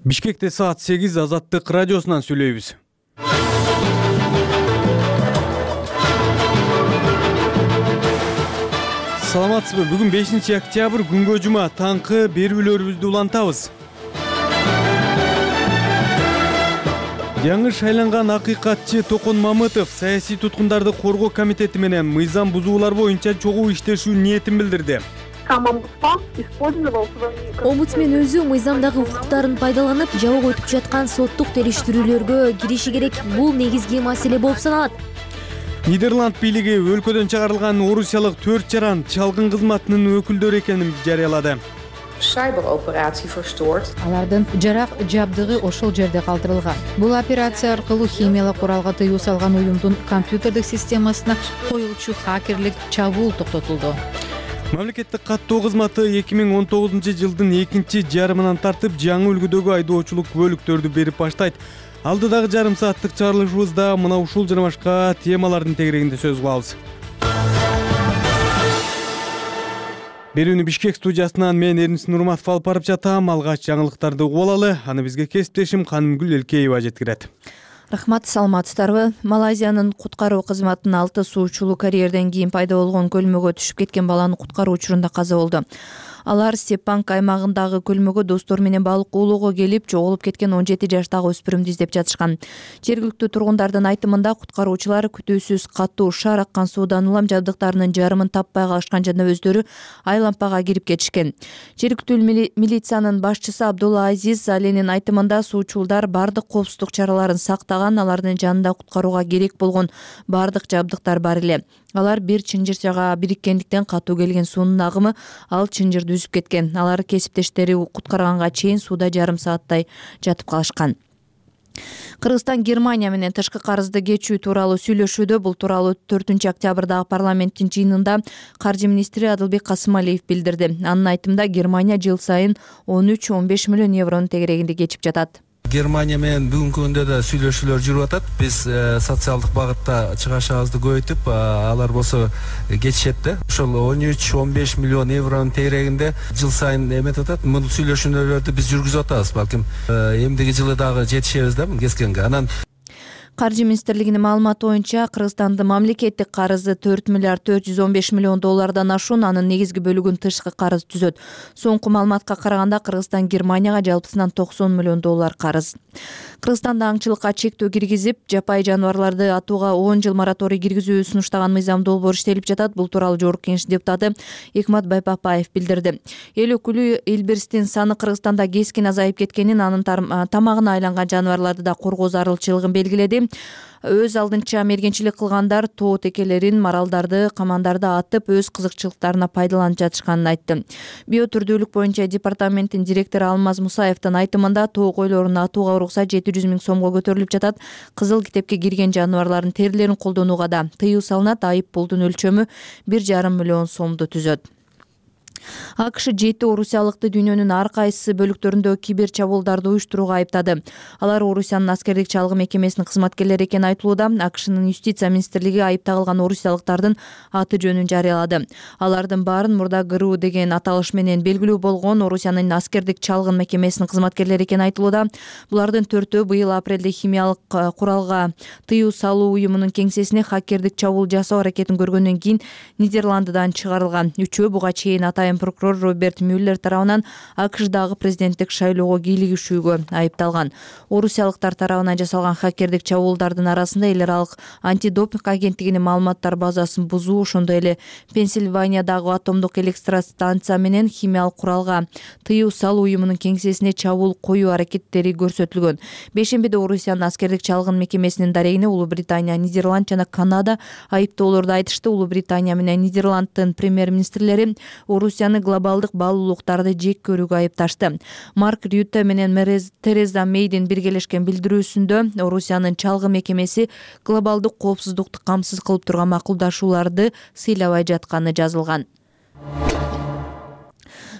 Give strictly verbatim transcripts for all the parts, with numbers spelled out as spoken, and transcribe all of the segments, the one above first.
Бишкекте саат сегиз Азаттык радиосунан сүйлөйбүз. Саламатсызбы? Бүгүн бешинчи октябрь күнгө жума, таңкы берүүлөрүбүздү улантабыз. Жаңы шайланган акыйкатчы Токон Мамытов саясий туткундарды коргоо комитети менен мыйзам бузуулар боюнча чогуу иштешүү ниетин билдирди. Омбудсмен өзү мыйзамдагы укуктарын пайдаланып, жабык өтүп жаткан соттук териштирүүлөргө кириши керек. Бул негизги маселе болуп саналат. Нидерланд бийлиги өлкөдөн чыгарылган орусиялык төрт жаран чалгын кызматынын өкүлдөрү экенин жарыялады. Алардын жарак жабдыгы ошол жерде калтырылган. Бул операция аркылуу химиялык куралга тыюу салган уюмдун компьютердик системасына коюлчу хакерлик чабуул токтотулду. Мамлекеттик каттоо кызматы эки миң он тогузунчу жылдын экинчи жарымынан тартып жаңы үлгүдөгү айдоочулук бөлүктөрдү берип баштайт. Алдыдагы жарым сааттык чыгарылышыбызда мына ушул жана башка темалардын тегерегинде сөз кылабыз. Берүүнү Бишкек студиясынан мен Эрнис Нурматов алып барып жатам. Алгач жаңылыктарды угуп алалы. Аны бизге кесиптешим Канымгүл Элкеева жеткирет. Рахмат, саламатсыздарбы? Малайзиянын куткаруу кызматынын алты суучулу карьерден кийин пайда болгон көлмөгө түшүп кеткен баланы куткаруу учурунда каза болду. Алар Сепанг аймагындагы көлмөгө достор менен балык уулоого келип, жоголуп кеткен он жети жаштагы өспүрүмдү издеп жатышкан. Жергиликтүү тургундардын айтымында куткаруучулар күтүүсүз катуу шар аккан суудан улам жабдыктарынын жарымын таппай калышкан жана өздөрү айлампага кирип кетишкен. Жергиликтүү милициянын башчысы Абдулла Азиз Аленин айтымында суучулдар бардык коопсуздук чараларын сактаган, алардын жанында куткарууга керек болгон бардык жабдыктар бар эле. Алар бир чынжырчага бириккендиктен катуу келген суунун агымы ал чынжырды үзүп кеткен. Алар кесиптештери куткарганга чейин сууда жарым сааттай жатып калышкан. Кыргызстан Германия менен тышкы карызды кечүү тууралуу сүйлөшүүдө. Бул тууралуу төртүнчү октябрдагы парламенттин жыйынында каржы министри Адылбек Касымалиев билдирди. Анын айтымында Германия жыл сайын он үч он беш миллион евронун тегерегинде кечип жатат. Германия менен бүгүнкү күндө да сүйлөшүүлөр жүрүп атат. Биз социалдык багытта чыгашыбызды көбөйтүп, алар болсо кетишет да. Ошол он үч он беш миллион евронун тегерегинде жыл сайын эметип атат. Бул сүйлөшүүлөрдү биз жүргүзүп атабыз. Балким эмдиги жылы дагы жетишебиз да кескенге. Анан Каржы министрлигинин маалыматы боюнча Кыргызстандын мамлекеттик карызы төрт миллиард төрт жүз он беш миллион доллардан ашуун, анын негизги бөлүгүн тышкы карыз түзөт. Соңку маалыматка караганда Кыргызстан Германияга жалпысынан токсон миллион доллар карыз. Кыргызстанда аңчылыкка чектөө киргизип, жапайы жаныбарларды атууга он жыл мораторий киргизүү сунуштаган мыйзам долбоор иштелип жатат. Бул тууралуу Жогорку Кеңеш депутаты Экмат Байпапаев билдирди. Эл өкүлү илбирстин саны Кыргызстанда кескин азайып кеткенин, анын тамагына айланган жаныбарларды да коргоо зарылчылыгын белгиледи. Өз алдынча мергенчилик кылгандар тоо текелерин, маралдарды, камандарды атып, өз кызыкчылыктарына пайдаланып жатышканын айтты. Биотүрдүүлүк боюнча департаменттин директору Алмаз Мусаевдин айтымында тоо койлорун атууга уруксат жети жүз миң сомго көтөрүлүп жатат. Кызыл китепке кирген жаныбарлардын терилерин колдонууга да тыюу салынат. Айып пулдун өлчөмү бир жарым миллион сомду түзөт. АКШ жети орусиялыкты дүйнөнүн ар кайсы бөлүктөрүндө кибер чабуулдарды уюштурууга айыптады. Алар Орусиянын аскердик чалгы мекемесинин кызматкерлери экени айтылууда. АКШнын юстиция министрлиги айып тагылган орусиялыктардын аты жөнүн жарыялады. Алардын баарын мурда ГРУ деген аталыш менен белгилүү болгон Орусиянын аскердик чалгын мекемесинин кызматкерлери экени айтылууда. Булардын төртөө быйыл апрелде химиялык куралга тыюу салуу уюмунун кеңсесине хакердик чабуул жасоо аракетин көргөндөн кийин Нидерландыдан чыгарылган. Үчөө буга чейин атайын прокурор Роберт Мюллер тарабынан АКШдагы президенттик шайлоого кийлигишүүгө айыпталган. Орусиялыктар тарабынан жасалган хакердик чабуулдардын арасында эл аралык антидопинг агенттигинин маалыматтар базасын бузуу, ошондой эле Пенсильваниядагы атомдук электростанция менен химиялык куралга тыюу салуу уюмунун кеңсесине чабуул коюу аракеттери көрсөтүлгөн. Бешембиде Орусиянын аскердик чалгын мекемесинин дарегине Улуу Британия, Нидерланд жана Канада айыптоолорду айтышты. Улуу Британия менен Нидерланддын премьер-министрлери Орусияны глобалдык баалуулуктарды жек көрүүгө айыпташты. Марк Рютте менен Тереза Мейдин биргелешкен билдирүүсүндө Орусиянын чалгы мекемеси глобалдык коопсуздукту камсыз кылып турган макулдашууларды сыйлабай жатканы жазылган.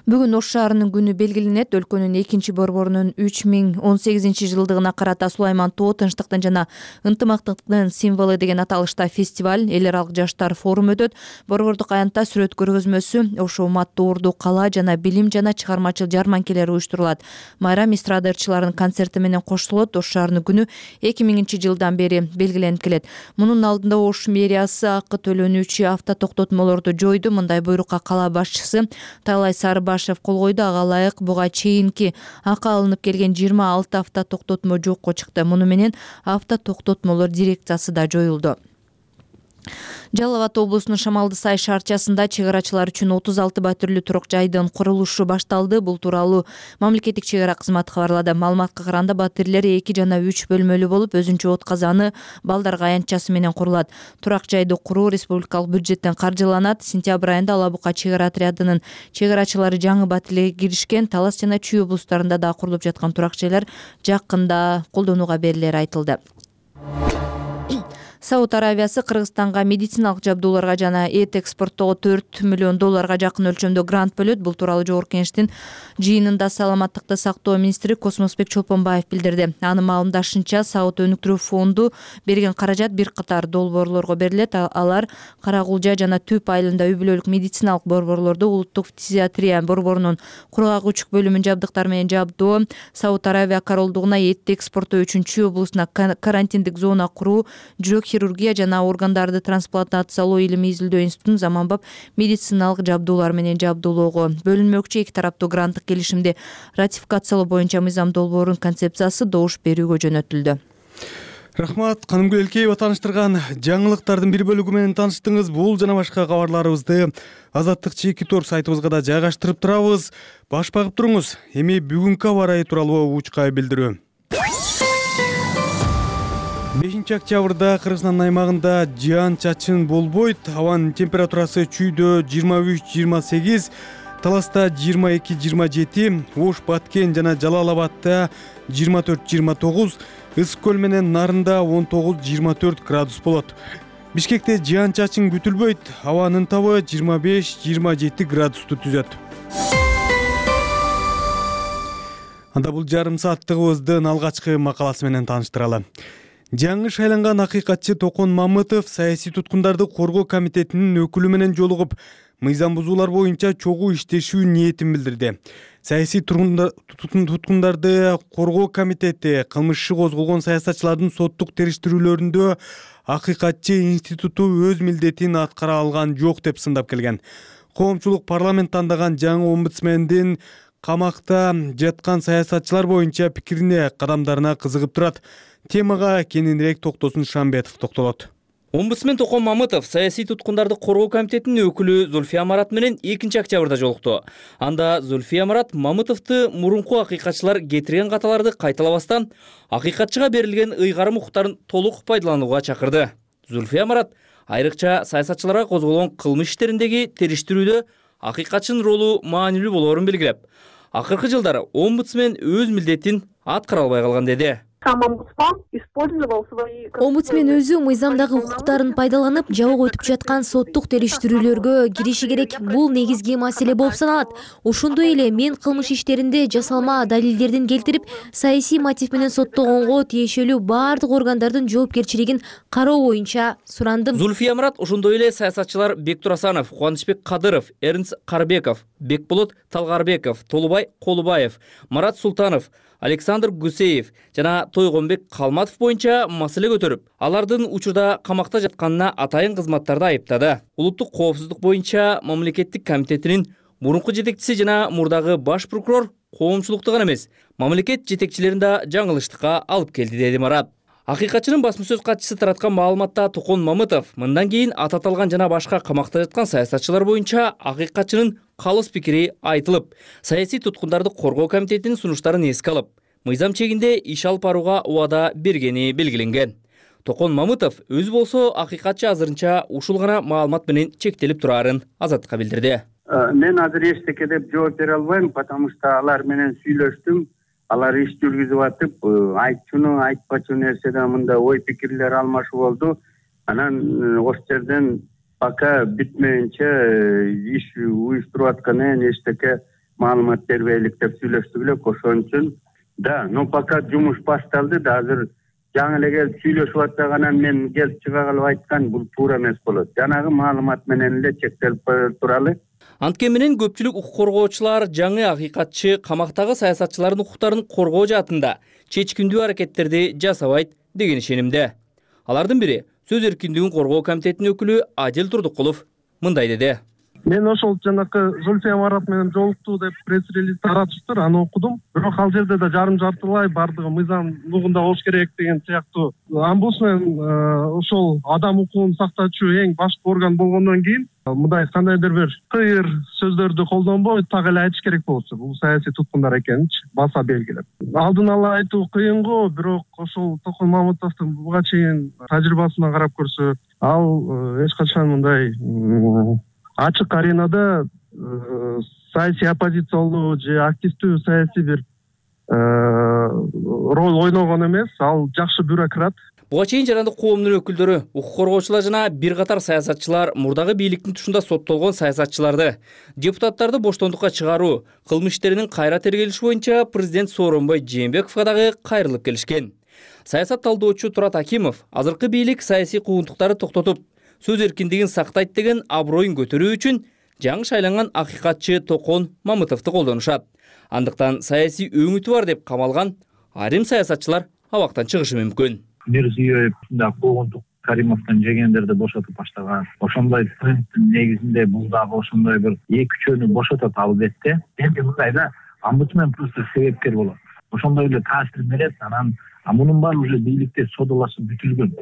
Бүгүн Ош шаарынын күнү белгиленет. Өлкөнүн экинчи борборунун үч миң он сегизинчи жылдыгына карата Сулайман Тоо тынчтыктын жана ынтымактыктын символу деген аталышта фестиваль, эл аралык жаштар форуму өтөт. Борбордук аянтта сүрөт көргөзмөсү, Ош уматтуу урду кала жана билим жана чыгармачыл жарманкелер уюштурулат. Майрам эстрада ырчыларынын концерти менен коштулот. Ош шаарынын күнү эки миңинчи жылдан бери белгиленип келет. Мунун алдында Ош мэриясы акы төлөнүүчү автотоктотмолорду жойду. Мындай буйрукка кала башчысы Талай Сарыбашев кол койду. Ага ылайык буга чейинки акы алынып келген жыйырма алты автотоктотмо жокко чыкты. Муну менен автотоктотмолор дирекциясы да жоюлду. Жалал Абад облусунун Шамалды Сай шаарчасында чек арачылар үчүн отуз алты батирлүү турак жайдын курулушу башталды. Бул тууралуу мамлекеттик чек ара кызматы кабарлады. Маалыматка караганда батирлер эки жана үч бөлмөлүү болуп, өзүнчө от казаны, балдарга аянтчасы менен курулат. Турак жайды куруу республикалык бюджеттен каржыланат. Сентябрь айында Ала Бука чек ара отрядынын чек арачылары жаңы батирлерге киришкен. Талас жана Чүй облустарында да курулуп жаткан турак жайлар жакында колдонууга берилери айтылды. Сауд Аравиясы Кыргызстанга медициналык жабдууларга жана эт экспорттоого төрт миллион долларга жакын өлчөмдө грант бөлөт. Бул тууралуу Жогорку Кеңештин жыйынында саламаттыкты сактоо министри Космосбек Чолпонбаев билдирди. Анын маалымдашынча, Сауд өнүктүрүү фонду берген каражат бир катар долбоорлорго берилет. Алар Каракулжа жана Түп айылында үй бүлөлүк медициналык борборлорду, улуттук фтизиатрия борборунун кургак үчүк бөлүмүн жабдыктар менен жабдоо, Сауд Аравия королдугуна эт экспорттоо үчүн Чүй облусуна карантиндик зона куруу, жүрөк хирургия жана органдарды трансплантациялоо илимий изилдөө институтун заманбап медициналык жабдуулар менен жабдуулоого бөлүнмөкчү. Эки тараптуу гранттык келишимди ратификациялоо боюнча мыйзам долбоорунун концепциясы добуш берүүгө жөнөтүлдү. Рахмат, Канымгүл Элкеева тааныштырган жаңылыктардын бир бөлүгү менен тааныштыңыз. Бул жана башка кабарларыбызды Азаттык Чеки Тор сайтыбызга да жайгаштырып турабыз. Баш багып туруңуз. Эми бүгүнкү аба ырайы тууралуу учка билдирүү. бешинчи октябрда Кыргызстан аймагында жаан чачын болбойт. Абанын температурасы Чүйдө жыйырма үч жыйырма сегиз, Таласта жыйырма эки жыйырма жети, Ош, Баткен жана Жалал Абадта жыйырма төрт жыйырма тогуз, Ысык көл менен Нарында он тогуз жыйырма төрт градус болот. Бишкекте жаан чачын күтүлбөйт. Абанын табы жыйырма беш жыйырма жети градусту түзөт. Анда бул жарым сааттыгыбыздын алгачкы макаласы менен тааныштыралы. Жаңы шайланган акыйкатчы Токон Мамытов саясий туткундарды коргоо комитетинин өкүлү менен жолугуп, мыйзам бузуулар боюнча чогуу иштешүү ниетин билдирди. Саясий туткундарды коргоо комитети кылмыш иши козголгон саясатчылардын соттук териштирүүлөрүндө акыйкатчы институту өз милдетин аткара алган жок деп сындап келген. Коомчулук парламент тандаган жаңы омбудсмендин камакта жаткан саясатчылар боюнча пикирине, кадамдарына кызыгып турат. Темага кененирээк токтосун Шамбетов токтолот. Омбудсмен Токон Мамытов саясий туткундарды коргоо комитетинин өкүлү Зульфия Марат менен экинчи октябрда жолукту. Анда Зульфия Марат Мамытовду мурунку акыйкатчылар кетирген каталарды кайталабастан, акыйкатчыга берилген ыйгарым укуктарын толук пайдаланууга чакырды. Зульфия Марат айрыкча саясатчыларга козголгон кылмыш иштериндеги териштирүүдө акыйкатчынын ролу маанилүү болоорун белгилеп, акыркы жылдары омбудсмен өз милдетин аткара албай калган деди. Омбудсмен өзү мыйзамдагы укуктарын пайдаланып, жабык өтүп жаткан соттук териштирүүлөргө кириши керек. Бул негизги маселе болуп саналат. Ошондой эле мен кылмыш иштеринде жасалма далилдердин келтирип, саясий мотив менен соттогонго тиешелүү бардык органдардын жоопкерчилигин кароо боюнча сурандым. Зульфия Марат ошондой эле саясатчылар Бектур Асанов, Кубанычбек Кадыров, Эрнст Карбеков, Бекболот Талгарбеков, Толубай Колубаев, Марат Султанов, Александр Гусеев жана Тойгонбек Калматов боюнча маселе көтөрүп, алардын учурда камакта жатканына атайын кызматтарды айыптады. Улуттук коопсуздук боюнча мамлекеттик комитетинин мурунку жетекчиси жана мурдагы баш прокурор коомчулукту гана эмес, мамлекет жетекчилерин да жаңылыштыкка алып келди, деди Марат. Акыйкатчынын басма сөз катчысы тараткан маалыматта Токон Мамытов мындан кийин аты аталган жана башка камакта жаткан саясатчылар боюнча акыйкатчынын калыс пикири айтылып, саясий туткундарды коргоо комитетинин сунуштарын эске алып, мыйзам чегинде иш алып барууга убада бергени белгиленген. Токон Мамытов өзү болсо акыйкатчы азырынча ушул гана маалымат менен чектелип турарын Азаттыкка билдирди. Мен азыр эчтеке деп жооп бере албайм, потому что алар менен сүйлөштүм. Алар иш жүргүзүп атып, айтчуну, айтпачу нерседе мында ой пикирлер алмашуу болду. Анан ош жерден пока бүтмөйүнчө иш уюштуруп атканы эчтеке маалымат бербейлик деп сүйлөштүк элек, ошон үчүн да. Но пока жумуш башталды да, азыр жаңы эле келип сүйлөшүп атсак, анан мен келип чыга калып айткан бул туура эмес болот. Жанагы маалымат менен эле чектелип кое туралы. Анткени менен көпчүлүк укук коргоочулар жаңы акыйкатчы камактагы саясатчылардын укуктарын коргоо жаатында чечкиндүү аракеттерди жасабайт деген ишенимде. Алардын бири Сөз эркиндигин коргоо комитетинин өкүлү Адил Турдукулов мындай деди. Мен ошол жанакы Зульфия Марат менен жолуктуу деп пресс-релиз таратыштыр, аны окудум. Бирок ал жерде да жарым жартылай бардыгы мыйзам нугунда болуш керек деген сыяктуу. Омбудсмен ошол адам укугун сактоочу эң башкы орган болгондон кийин мындай кандайдыр бир кыйыр сөздөрдү колдонбой так эле айтыш керек болчу. Бул саясий туткундар экенинчи баса белгилеп. Алдын ала айтуу кыйын го, бирок ошол Токон Мамытовдун буга чейин тажрыйбасына карап көрсөк, ал эч качан мындай ачык аренада саясий оппозициялуу же активдүү саясий бир роль ойногон эмес. Ал жакшы бюрократ. Буга чейин жарандык коомдун өкүлдөрү, укук коргоочулар жана бир катар саясатчылар мурдагы бийликтин тушунда соттолгон саясатчыларды, депутаттарды боштондукка чыгаруу, кылмыш иштеринин кайра тергелиши боюнча президент Сооронбай Жээнбековго дагы кайрылып келишкен. Саясат талдоочу Турат Акимов азыркы бийлик саясий куугунтуктарды токтотуп, сөз эркиндигин сактайт деген аброюн көтөрүү үчүн жаңы шайланган акыйкатчы Токон Мамытовду колдонушат. Андыктан саясий өңүтү бар деп камалган айрым саясатчылар абактан чыгышы мүмкүн. Мирзиёев да куугунтук Каримовдон жегендерди бошотуп баштаган. Ошондой трендтин негизинде бул дагы ошондой бир эки үчөөнү бошотот албетте. Эми мындайда омбудсмен просто себепкер болот. Ошондой эле таасир берет. Анан а мунун баары уже бийликте содалашып бүтүлгөн.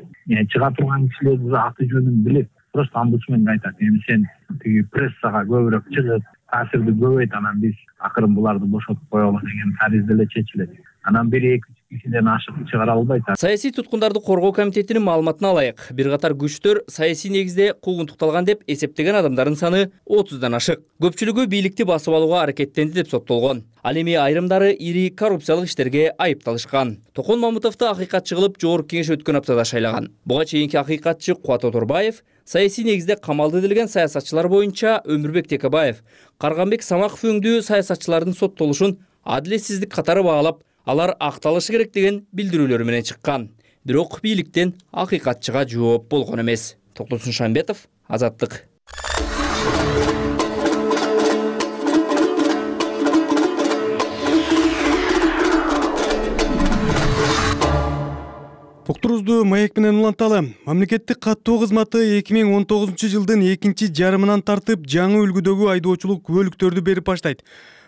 Чыга турган кишилердин аты жөнүн билип, просто омбудсменге айтат: "Эми сен тиги прессага көбүрөөк чыгып, таасирди көбөйт, анан биз акырын буларды бошотуп коелу" деген таризде эле чечилет. Анан бир эки кишиден ашык чыгара албайт. Саясий туткундарды коргоо комитетинин маалыматына алайык. Бир катар күчтөр саясий негизде куугунтукталган деп эсептеген адамдардын саны отуздан ашык. Көпчүлүгү бийликти басып алууга аракеттенди деп соттолгон. Ал эми айрымдары ири коррупциялык иштерге айыпталышкан. Токон Мамытовду акыйкатчы кылып жогорку кеңеш өткөн аптада шайлаган. Буга чейинки акыйкатчы Кубат Оторбаев, саясий негизде камалды делген саясатчылар боюнча Өмүрбек Текебаев, Карганбек Самаков өңдүү саясатчылардын соттолушун адилетсиздик катары баалап, алар акталышы керек деген билдирүүлөр менен чыккан. Бирок бийликтен акыйкатчыга жооп болгон эмес. Токтосун Шамбетов, Азаттык. Уктурубузду маек менен уланталы. Мамлекеттик каттоо кызматы эки миң он тогузунчу жылдын экинчи жарымынан тартып жаңы үлгүдөгү айдоочулук күбөлүктөрдү берип баштайт.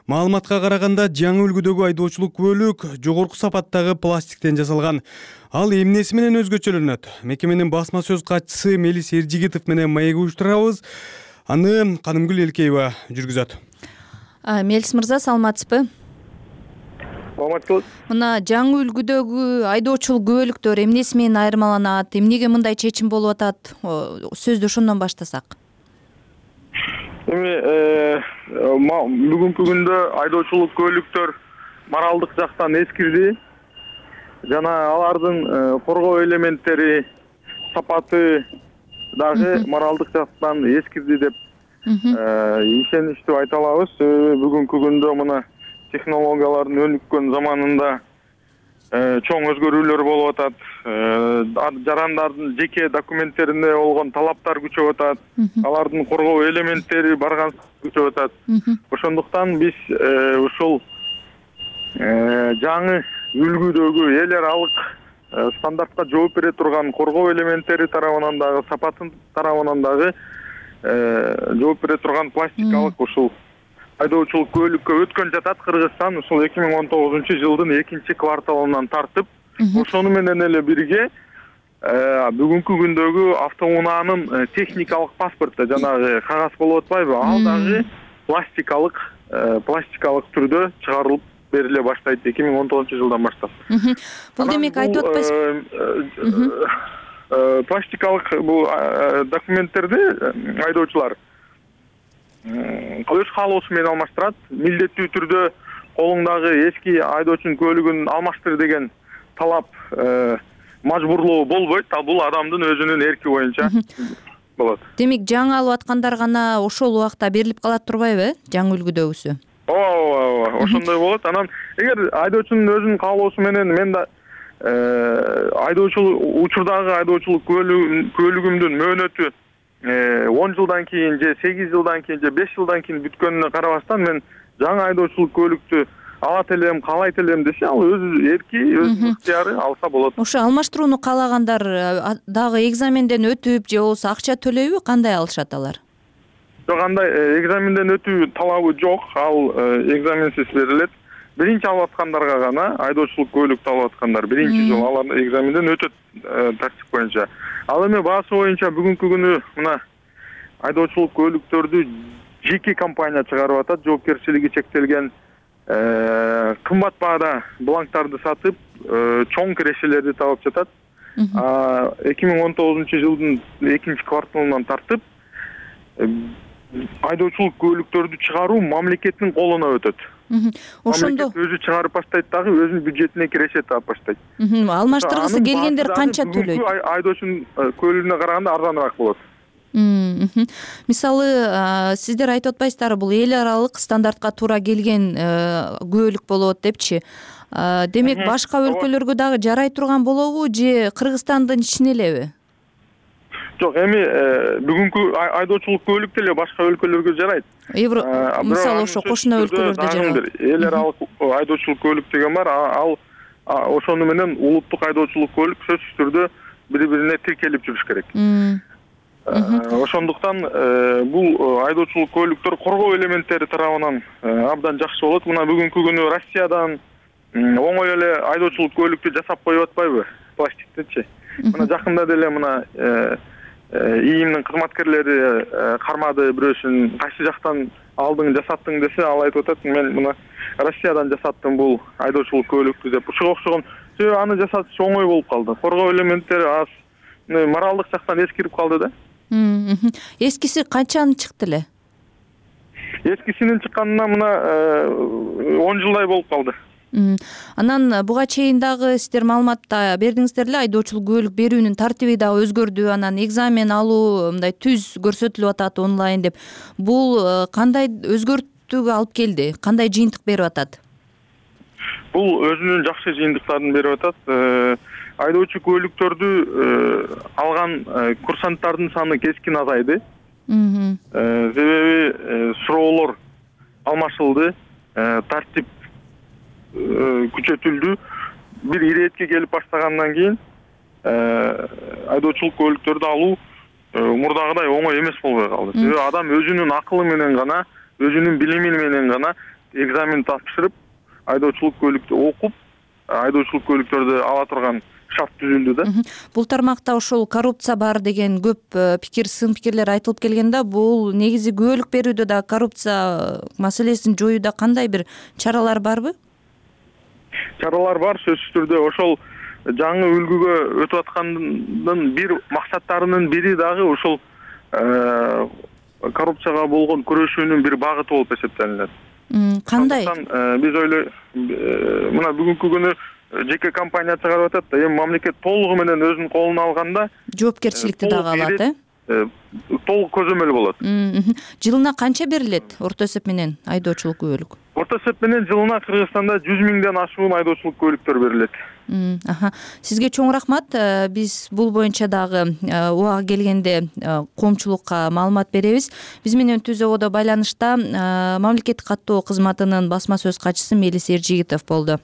Маалыматка караганда жаңы үлгүдөгү айдоочулук күбөлүк жогорку сапаттагы пластиктен жасалган. Ал эмнеси менен өзгөчөлөнөт? Мекеменин басма сөз катчысы Мелис Эржигитов менен маек уюштурабыз. Аны Канымгүл Элкеева жүргүзөт. Мелис мырза, саламатсызбы? Саламатсызбы. Мына жаңы үлгүдөгү айдоочулук күбөлүктөр эмнеси менен айырмаланат? Эмнеге мындай чечим болуп атат? Сөздү ошондон баштасак. Эми бүгүнкү күндө айдоочулук күбөлүктөр моралдык жактан эскирди. Жана алардын коргоо элементтери, сапаты дагы моралдык жактан эскирди деп ишеничтүү айта алабыз. Бүгүнкү күндө мына технологиялардын өнүккөн заманында чоң өзгөрүүлөр болуп атат. Жарандардын жеке документтерине болгон талаптар күчөп атат. Алардын коргоо элементтери барган күчөп атат. Ошондуктан биз ушул жаңы үлгүдөгү эл аралык стандартка жооп бере турган коргоо элементтери тарабынан дагы, сапатын тарабынан дагы жооп бере турган пластикалык ушул айдоочулук күбөлүккө өткөн жатат. Кыргызстан ушул эки миң он тогузунчу жылдын экинчи кварталынан тартып, ошону менен эле бирге бүгүнкү күндөгү автоунаанын техникалык паспорту, жанагы кагаз болуп атпайбы, ал дагы пластикалык пластикалык түрдө чыгарылып бериле баштайт эки миң он тогузунчу жылдан баштап. Бул демек айтып атпайсызбы? Пластикалык бул документтерди айдоочулар өз каалоосу менен алмаштырат. Милдеттүү түрдө колуңдагы эски айдоочунун күбөлүгүн алмаштыр деген талап мажбурлоо болбойт. Ал бул адамдын өзүнүн эрки боюнча болот. Демек жаңы алып аткандар гана ошол убакта берилип калат турбайбы, жаңы үлгүдөгүсү? ооба ооба ооба ошондой болот. Анан эгер айдоочунун өзүнүн каалоосу менен мен да айдоочулук учурдагы айдоочулук куөлүгүмдүн мөөнөтү он жылдан кийин же сегиз жылдан кийин же беш жылдан кийин бүткөнүнө карабастан мен жаңы айдоочулук көлүктү алат элем, каалайт элем десе, ал өз эрки, өз ыктыяры алса болот. Ошо алмаштырууну каалагандар дагы экзаменден өтүп же болбосо акча төлөйбү, кандай алышат алар? Жок, андай экзаменден өтүү талабы жок, ал экзаменсиз берилет. Биринчи алып аткандарга гана, айдоочулук көлүктү алып аткандар биринчи жолу алар экзаменден өтөт тартип боюнча. Ал эми баасы боюнча бүгүнкү күнү мына айдоочулук көлүктөрдү жеке компания чыгарып атат, жоопкерчилиги чектелген кымбат баада бланктарды сатып, чоң кирешелерди табып жатат. эки миң он тогузунчу жылдын экинчи кварталынан тартып айдоочулук көлүктөрдү чыгаруу мамлекеттин колуна өтөт. Ошондо мамлекет өзү чыгарып баштайт дагы, өзүнүн бюджетине киреше таап баштайт. Алмаштыргысы келгендер канча төлөйт? Бүгүнкү айдоочунун көлүгүнө караганда арзаныраак болот. Мисалы, сиздер айтып атпайсыздарбы, бул эл аралык стандартка туура келген күбөлүк болот депчи. Демек, башка өлкөлөргө дагы жарай турган болобу же Кыргызстандын ичине элеби? Жок, эми бүгүнкү айдоочулук көлүк деле башка өлкөлөргө жарайт. Мисалы, ошо кошуна өлкөлөрдө жарайт. Эл аралык айдоочулук көлүк деген бар, ал ошону менен улуттук айдоочулук көлүк сөзсүз түрдө бири-бирине тиркелип жүрүш керек. Ошондуктан бул айдоочулук көлүктөр коргоо элементтери тарабынан абдан жакшы болот. Мына бүгүнкү күнү Россиядан оңой эле айдоочулук көлүктү жасап коюп атпайбы, пластиктичи. Мына жакында деле мына ИИМдин кызматкерлери кармады, бирөөсүн кайсы жактан алдың жасаттың десе, ал айтып атат, мен мына Россиядан жасаттым бул айдоочулук көлүктү деп. Ушуга окшогон себеби аны жасатыш оңой болуп калды. Коргоо элементтери аз, моралдык жактан эскирип калды да. Эскиси канчаны чыкты эле? Эскисинин чыкканына мына он жылдай болуп калды. Анан буга чейин дагы сиздер маалыматта бердиңиздер эле, айдоочулук көлүк берүүнүн тартиби дагы өзгөрдү, анан экзамен алуу мындай түз көрсөтүлүп атат онлайн деп. Бул кандай өзгөртүүгө алып келди? Кандай жыйынтык берип атат? Бул өзүнүн жакшы жыйынтыктарын берип атат. Айдоочу көлүктөрдү алган курсанттардын саны кескин азайды. Себеби суроолор алмашылды, тартип күчөтүлдү. Бир иретке келип баштагандан кийин айдоочулук көлүктөрдү алуу мурдагыдай оңой эмес болбой калды. Себеби адам өзүнүн акылы менен гана, өзүнүн билими менен гана экзамен тапшырып, айдоочулук көлүктү окуп, айдоочулук көлүктөрдү ала турган шарт түзүлдү да. Бул тармакта ошол коррупция бар деген көп пикир, сын пикирлер айтылып келгенде, бул негизи күбөлүк берүүдө да коррупция маселесин жоюуда кандай бир чаралар барбы? Чаралар бар, сөзсүз түрдө. Ошол жаңы үлгүгө өтүп аткандын бир максаттарынын бири дагы ушул коррупцияга болгон күрөшүүнүн бир багыты болуп эсептелинет. Кандай? Биз ойлой, мына бүгүнкү күнү жеке компания чыгарып атат да, эми мамлекет толугу менен өзүнүн колуна алганда жоопкерчиликти дагы алат, э? Толук көзөмөл болот. Жылына канча берилет орто эсеп менен айдоочулук күбөлүк? Орто эсеп менен жылына Кыргызстанда жүз миңден ашуун айдоочулук көлүктөр берилет. Сизге чоң рахмат. Биз бул боюнча дагы убагы келгенде коомчулукка маалымат беребиз. Биз менен түз ободо байланышта мамлекеттик каттоо кызматынын басма сөз катчысы Мелис Эржигитов болду.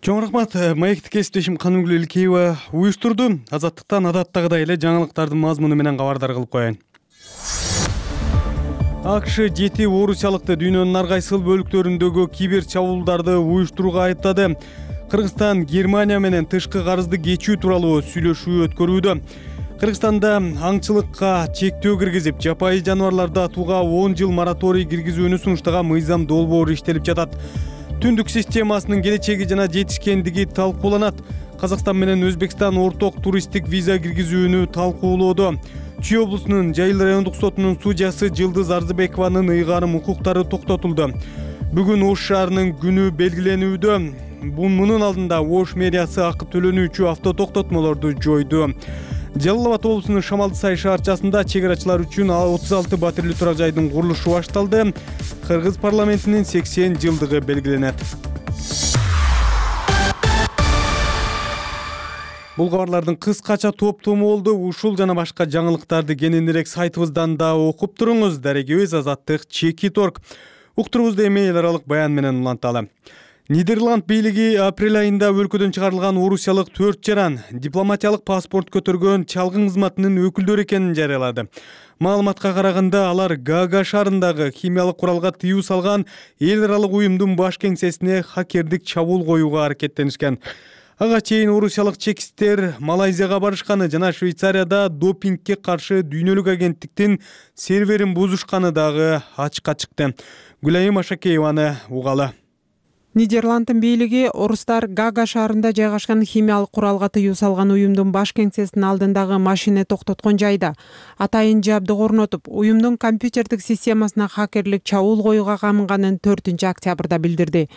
Чоң рахмат. Маектик кесиптешим Канымгүл Элкеева уюштурду. Азаттыктан адаттагыдай эле жаңылыктардын мазмуну менен кабардар кылып коеюн. АКШ жети орусиялыкты дүйнөнүн ар кайсыл бөлүктөрүндөгү кибер чабуулдарды уюштурууга айыптады. Кыргызстан Германия менен тышкы карызды кечүү тууралуу сүйлөшүү өткөрүүдө. Кыргызстанда аңчылыкка чектөө киргизип, жапайы жаныбарларды атууга он жыл мораторий киргизүүнү сунуштаган мыйзам долбоору иштелип жатат. Түндүк системасынын келечеги жана жетишкендиги талкууланат. Казакстан менен Өзбекстан орток туристтик виза киргизүүнү талкуулоодо. Чүй облусунун Жайыл райондук сотунун судьясы Жылдыз Арзыбекованын ыйгарым укуктары токтотулду. Бүгүн Ош шаарынын күнү белгиленүүдө. Мунун алдында Ош мэриясы акы төлөнүүчү автотоктотмолорду жойду. Жалал Абад облусунун Шамалды Сай шаарчасында чек арачылар үчүн отуз алты батирлүү турак жайдын курулушу башталды. Кыргыз парламентинин сексен жылдыгы белгиленет. Бул кабарлардын кыскача топтому болду. Ушул жана башка жаңылыктарды кененирээк сайтыбыздан да окуп туруңуз. Дарегибиз Азаттык Чекит точка орг. Уктурубузду эми эл аралык баян менен уланталы. Нидерланд бийлиги апрель айында өлкөдөн чыгарылган орусиялык төрт жаран дипломатиялык паспорт көтөргөн чалгын кызматынын өкүлдөрү экенин жарыялады. Маалыматка караганда алар Гага шаарындагы химиялык куралга тыюу салган эл аралык уюмдун баш кеңсесине хакердик чабуул коюуга аракеттенишкен. Ага чейин орусиялык чекисттер Малайзияга барышканы жана Швейцарияда допингке каршы дүйнөлүк агенттиктин серверин бузушканы дагы ачыкка чыкты. Гүлайым Ашакееваны угалы. Нидерланддын бийлиги орустар Гага шаарында жайгашкан химиялык куралга тыюу салган уюмдун баш кеңсесинин алдындагы машина токтоткон жайда атайын жабдык орнотуп, уюмдун компьютердик системасына хакерлик чабуул коюуга камынганын төртүнчү октябрда билдирди.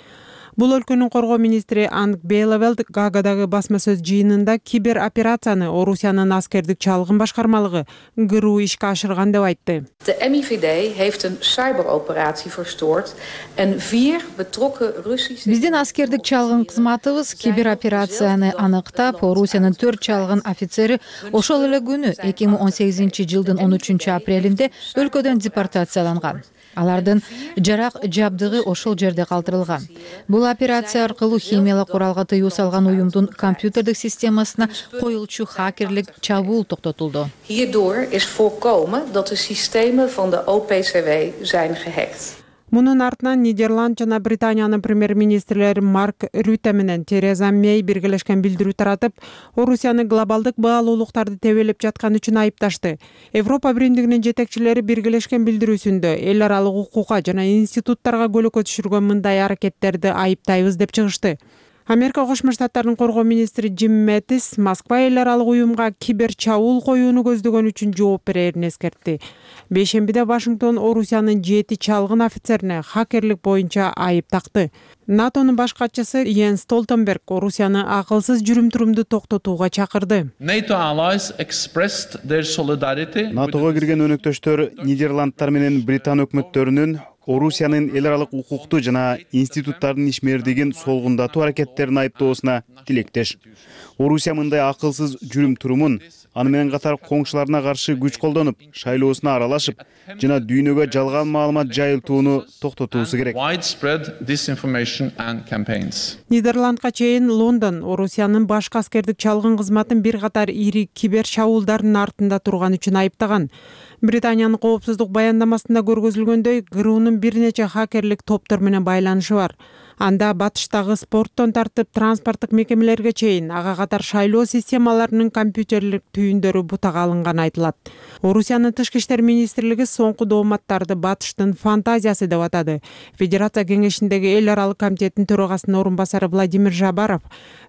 Бул өлкөнүн коргоо министри Анг Бейлевелд Гагадагы басма сөз жыйынында кибер операцияны Орусиянын аскердик чалгын башкармалыгы ГРУ ишке ашырган деп айтты. De M I V D heeft een cyberoperatie verstoord en vier betrokken Russische... Биздин аскердик чалгын кызматыбыз кибер операцияны аныктап, Орусиянын төрт чалгын офицери ошол эле күнү эки миң он сегизинчи жылдын он үчүнчү апрелинде өлкөдөн депортацияланган. Алардын жарак жабдыгы ошол жерде калтырылган. Бул операция аркылуу химиялык куралга тыюу салган уюмдун компьютердик системасына коюлчу хакерлик чабуул токтотулду. Hierdoor is voorkomen dat de systemen van de O P C W zijn gehackt. Мунун артынан Нидерланд жана Британиянын премьер-министрлери Марк Рюте менен Тереза Мей биргелешкен билдирүү таратып, Орусияны глобалдык баалуулуктарды тебелеп жаткан үчүн айыпташты. Европа биримдигинин жетекчилери биргелешкен билдирүүсүндө эл аралык укукка жана институттарга көлөкө түшүргөн мындай аракеттерди айыптайбыз деп чыгышты. Америка Кошмо Штаттарынын коргоо министри Джим Мэттис Москва эл аралык уюмга кибер чабуул коюуну көздөгөн үчүн жооп берерин эскертти. Бейшембиде Вашингтон Орусиянын жети чалгын офицерине хакерлик боюнча айып такты. НАТОнун баш катчысы Йенс Столтенберг Орусияны акылсыз жүрүм-турумду токтотууга чакырды. НАТОго кирген өнөктөштөр Нидерландтар менен Британ өкмөттөрүнүн Орусиянын эл аралык укукту жана институттардын ишмердигин солгундатуу аракеттерин айыптоосуна тилектеш. Орусия мындай акылсыз жүрүм-турумун аны менен катар коңшуларына каршы күч колдонуп, шайлоосуна аралашып жана дүйнөгө жалган маалымат жайылтууну токтотуусу керек. Нидерландга чейин Лондон Орусиянын башкы аскердик чалгын кызматын бир катар ири кибер чабуулдардын артында турган үчүн айыптаган. Британиянын коопсуздук баяндамасында көргөзүлгөндөй, ГРУнун бир нече хакерлик топтор менен байланышы бар. Анда батыштагы спорттон тартып транспорттук мекемелерге чейин ага катар шайлоо системаларынын компьютерлик түйүндөрү бутага алынганы айтылат. Орусиянын тышкы иштер министрлиги соңку дооматтарды батыштын фантазиясы деп атады. Федерация кеңешиндеги эл аралык комитеттин төрагасынын орун басары Владимир Жабаров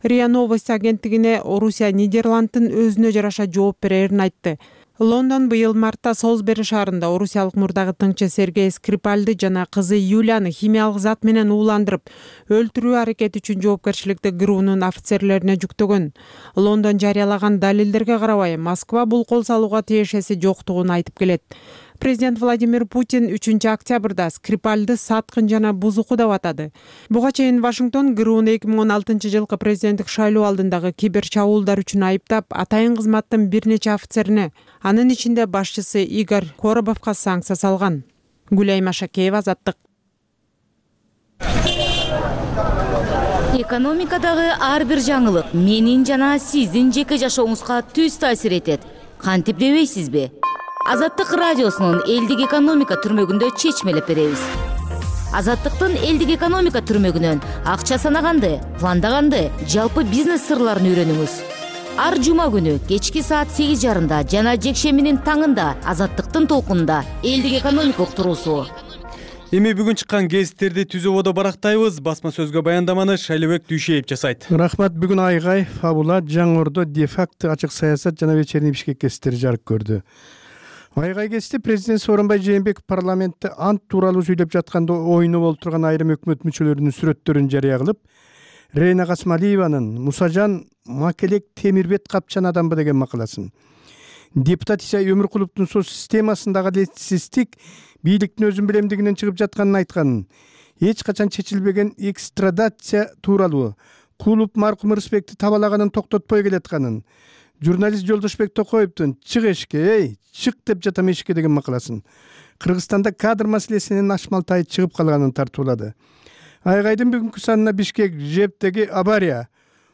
РИА Новости агенттигине Орусия Нидерланддын өзүнө жараша жооп берерин айтты. Лондон быйыл мартта Солсбери шаарында орусиялык мурдагы тыңчы Сергей Скрипальды жана кызы Юлияны химиялык зат менен ууландырып, өлтүрүү аракети үчүн жоопкерчиликти ГРУнун офицерлерине жүктөгөн. Лондон жарыялаган далилдерге карабай, Москва бул кол салууга тиешеси жоктугун айтып келет. Президент Владимир Путин үчүнчү октябрда Скрипальды саткын жана бузуку деп атады. Буга чейин Вашингтон ГРУну эки миң он алтынчы жылкы президенттик шайлоо алдындагы кибер чабуулдар үчүн айыптап, атайын кызматтын бир нече офицерине, анын ичинде башчысы Игорь Коробовго санкция салган. Гүлайым Ашакеева, Азаттык. Экономикадагы ар бир жаңылык менин жана сиздин жеке жашооңузга түз таасир этет. Кантип дебейсизби? Азаттык радиосунун элдик экономика түрмөгүндө чечмелеп беребиз. Азаттыктын элдик экономика түрмөгүнөн акча санаганды, пландаганды, жалпы бизнес сырларын үйрөнүңүз. Ар жума күнү кечки саат сегиз жарымда жана жекшембинин таңында Азаттыктын толкунунда элдик экономика уктуруусу. Эми бүгүн чыккан гезиттерди түзүүбодо барактайбыз. Басма сөзгө баяндаманы Шайлыбек Дүйшеев жасайт. Рахмат. Бүгүн Айгай, Фабула, Жаңордо де-факто ачык саясат жана вечерний Бишкек гезиттери жарык көрдү. Айгай гезити президент Сооронбай Жээнбеков парламентте ант тууралуу сүйлөп жатканда ойну болуп турган айрым өкмөт мүчөлөрүнүн сүрөттөрүн жарыя кылып, Рейна Касмалиеванын Мусажан Макелек Темирбет капчан адамбы деген макаласын, Депутат Иса Өмүркуловдун соц системасындагы адилетсиздик бийликтин өзүн билемдигинен чыгып жатканын айткан. Эч качан чечилбеген экстрадация тууралуу Кулуп маркум Рысбекти табалаганын токтотпой келатканын, журналист Жолдошбек Токоевдун «Чык эшикке, эй, чык» деп жатам эшикке деген макаласын Кыргызстанда кадр маселесинин ашмалтайы чыгып калганын тартуулады. Айгайдын бүгүнкү санына Бишкек жептеги авария,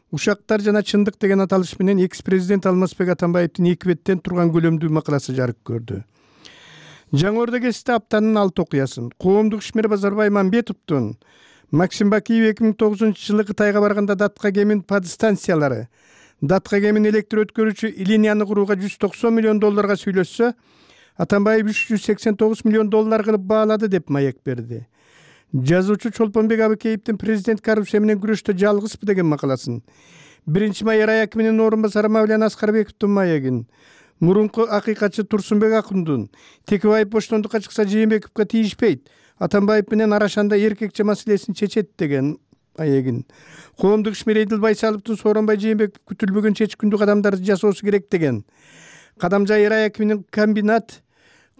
ушактар жана чындык деген аталыш менен экс-президент Алмазбек Атамбаевдин эки беттен турган көлөмдүү макаласы жарык көрдү. Жаңы Ордо гезитте аптанын алты окуясын коомдук ишмер Базарбай Мамбетовдун Максим Бакиев эки миң тогузунчу жылы Кытайга барганда датка кемин подстанциялары, датка кемин электр өткөрүүчү линияны курууга жүз токсон миллион долларга сүйлөшсө, Атамбаев үч жүз сексен тогуз миллион доллар кылып баалады деп маек берди. Жазуучу Чолпонбек Абыкеевдин президент коррупция менен күрөштө жалгызбы деген макаласын, биринчи май рай акиминин орун басары Мавлян Аскарбековдун маегин, мурунку акыйкатчы Турсунбек Акундун Текебаев боштондукка чыкса Жээнбековго тийишпейт, Атамбаев менен арашанда эркекче маселесин чечет деген маегин, коомдук ишмер Эдил Байсаловдун Сооронбай Жээнбеков күтүлбөгөн чечкиндүү кадамдарды жасоосу керек деген, Кадамжай рай акиминин комбинат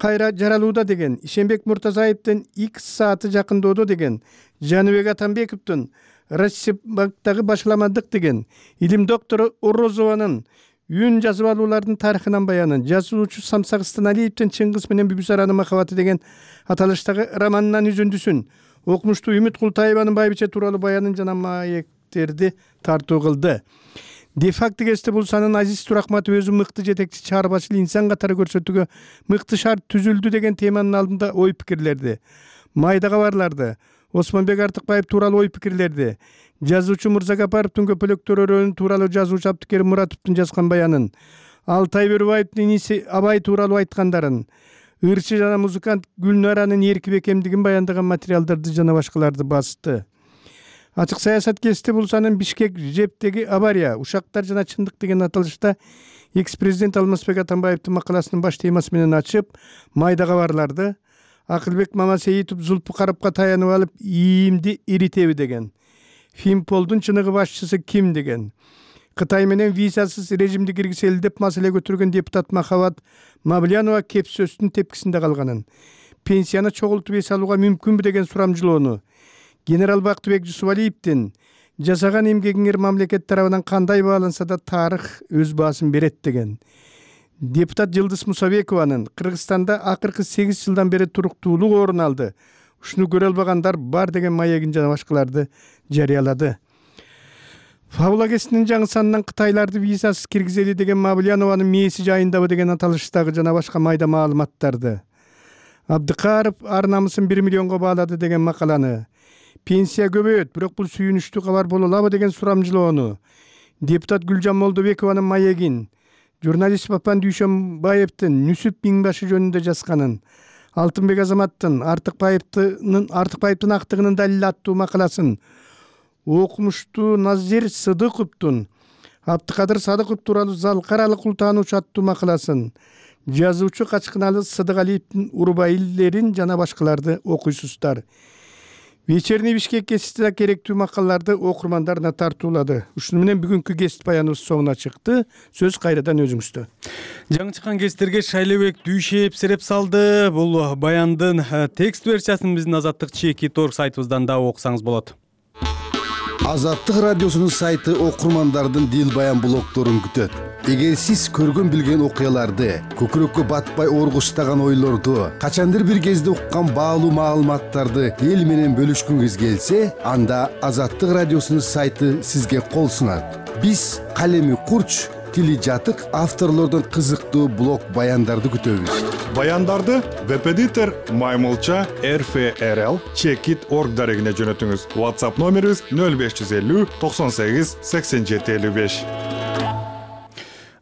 кайра жаралууда деген, Ишенбек Муртазаевдин X сааты жакындоодо деген, Жаныбек Атамбековдун Россиябанктагы башаламандык деген, илим доктору Орозованын үн жазып алуулардын тарыхынан баянын, жазуучу Самсак Станалиевдин Чыңгыз менен Бүбүсаранын махабаты деген аталыштагы романынан үзүндүсүн, окумуштуу Үмүт Култаеванын Байбиче тууралуу баянын жана маектерди тартуу кылды. Де-факто гезитте бул санын Азиз Турахматов өзү мыкты жетекчи чарбачыл инсан катары көрсөтүүгө мыкты шарт түзүлдү деген теманын алдында ой пикирлерди, майда кабарларды, Осмонбек Артыкбаев тууралуу ой пикирлерди, жазуучу Мырзагапаровдун көпөлөктөр тууралуу жазуучу Абдыкерим Муратовдун жазган баянын, Алтай Бөрүбаевдин иниси Абай тууралуу айткандарын, ырчы жана музыкант Гүлнаранын эрки бекемдигин баяндаган материалдарды жана башкаларды басты. Ачык саясат гезитте бул санын Бишкек жептеги авария, ушактар жана чындык деген аталышта экс-президент Алмазбек Атамбаевдин макаласынын баш темасы менен ачып, майда кабарларды, Акылбек Мамасеитов Зулпу Карапка таянып алып, ийимди иритеби деген, Фимполдун чыныгы башчысы ким деген, Кытай менен визасыз режимди киргизели деп маселе көтөргөн депутат Махабат Мавлянова кеп сөздүн тепкисинде калганын, пенсияны чогултуп эс алууга мүмкүнбү деген сурамжылоону, генерал Бактыбек Жусупалиевдин жасаган эмгегиңер мамлекет тарабынан кандай бааланса да тарых өз баасын берет деген, депутат Жылдыз Мусабекованын Кыргызстанда акыркы сегиз жылдан бери туруктуулук орун алды, ушуну көрө албагандар бар деген маегин жана башкаларды жарыялады. Фабула гезитинин жаңы санынан Кытайларды визасыз киргизели деген Мавлянованын мээси жайындабы деген аталыштагы жана башка майда маалыматтарды, Абдыкаров ар намысын бир миллионго баалады деген макаланы, пенсия көбөйөт, бирок бул сүйүнүчтүү кабар боло алабы деген сурамжылоону, депутат Гүлжан Молдобекованын маегин, журналист Папан Дүйшөнбаевдин Нүсүп Миңбашы жөнүндө жазганын, Алтынбек Азаматтын Артыкбаевдин Артыкбаевдин актыгынын далили аттуу макаласын, окумуштуу Назир Сыдыковдун Абдыкадыр Садыков тууралуу залкаралык ултаануучу аттуу макаласын, жазуучу Качкыналы Сыдыгалиевдин Урбайлерин жана башкаларды окуйсуздар. Вечерний Бишкек гезитте керектүү макалаларды окурмандарына тартуулады. Ушуну менен бүгүнкү гезит баяныбыз соңуна чыкты. Сөз кайрадан өзүңүздө. Жаңы чыккан гезиттерге Шайлебек Дүйшеев сереп салды. Бул баяндын текст версиясын биздин Азаттык Чеки Торг сайтыбыздан да окусаңыз болот. Азаттык радиосунун сайты окурмандардын дил баян блогдорун күтөт. Эгер сиз көргөн билген окуяларды, көкүрөккө батпай оргуштаган ойлорду, качандыр бир кезде уккан баалуу маалыматтарды эл менен бөлүшкүңүз келсе, анда Азаттык радиосунун сайты сизге кол сунат. Биз калеми курч, тили жатык авторлордун кызыктуу блог баяндарды күтөбүз. Баяндарды веб-эдитор Маймылча эр эф эр эл чекит точка орг дарегине жөнөтүңүз. WhatsApp номерибиз нөл беш жүз элүү токсон сегиз сексен жети элүү беш.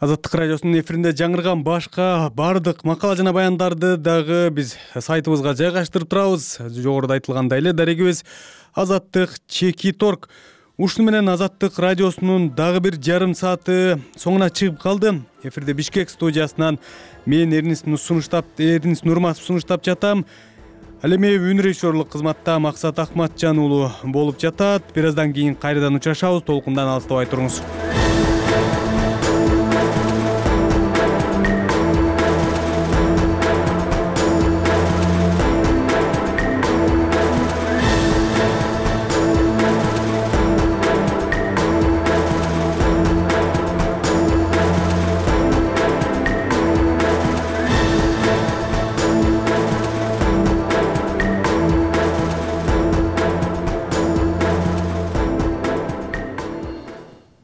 Азаттык радиосунун эфиринде жаңырган башка бардык макала жана баяндарды дагы биз сайтыбызга жайгаштырып турабыз. Жогоруда айтылгандай эле дарегибиз Азаттык Чеки Торг. Ушуну менен Азаттык радиосунун дагы бир жарым сааты соңуна чыгып калды. Эфирде Бишкек студиясынан мен Эрнис сунуштап, Эрнис Нурматов сунуштап жатам. Ал эми өнөр режиссерлук кызматта Максат Акматжан уулу болуп жатат. Бир аздан кийин кайрадан учурашабыз. Толкундан алыстабай туруңуз.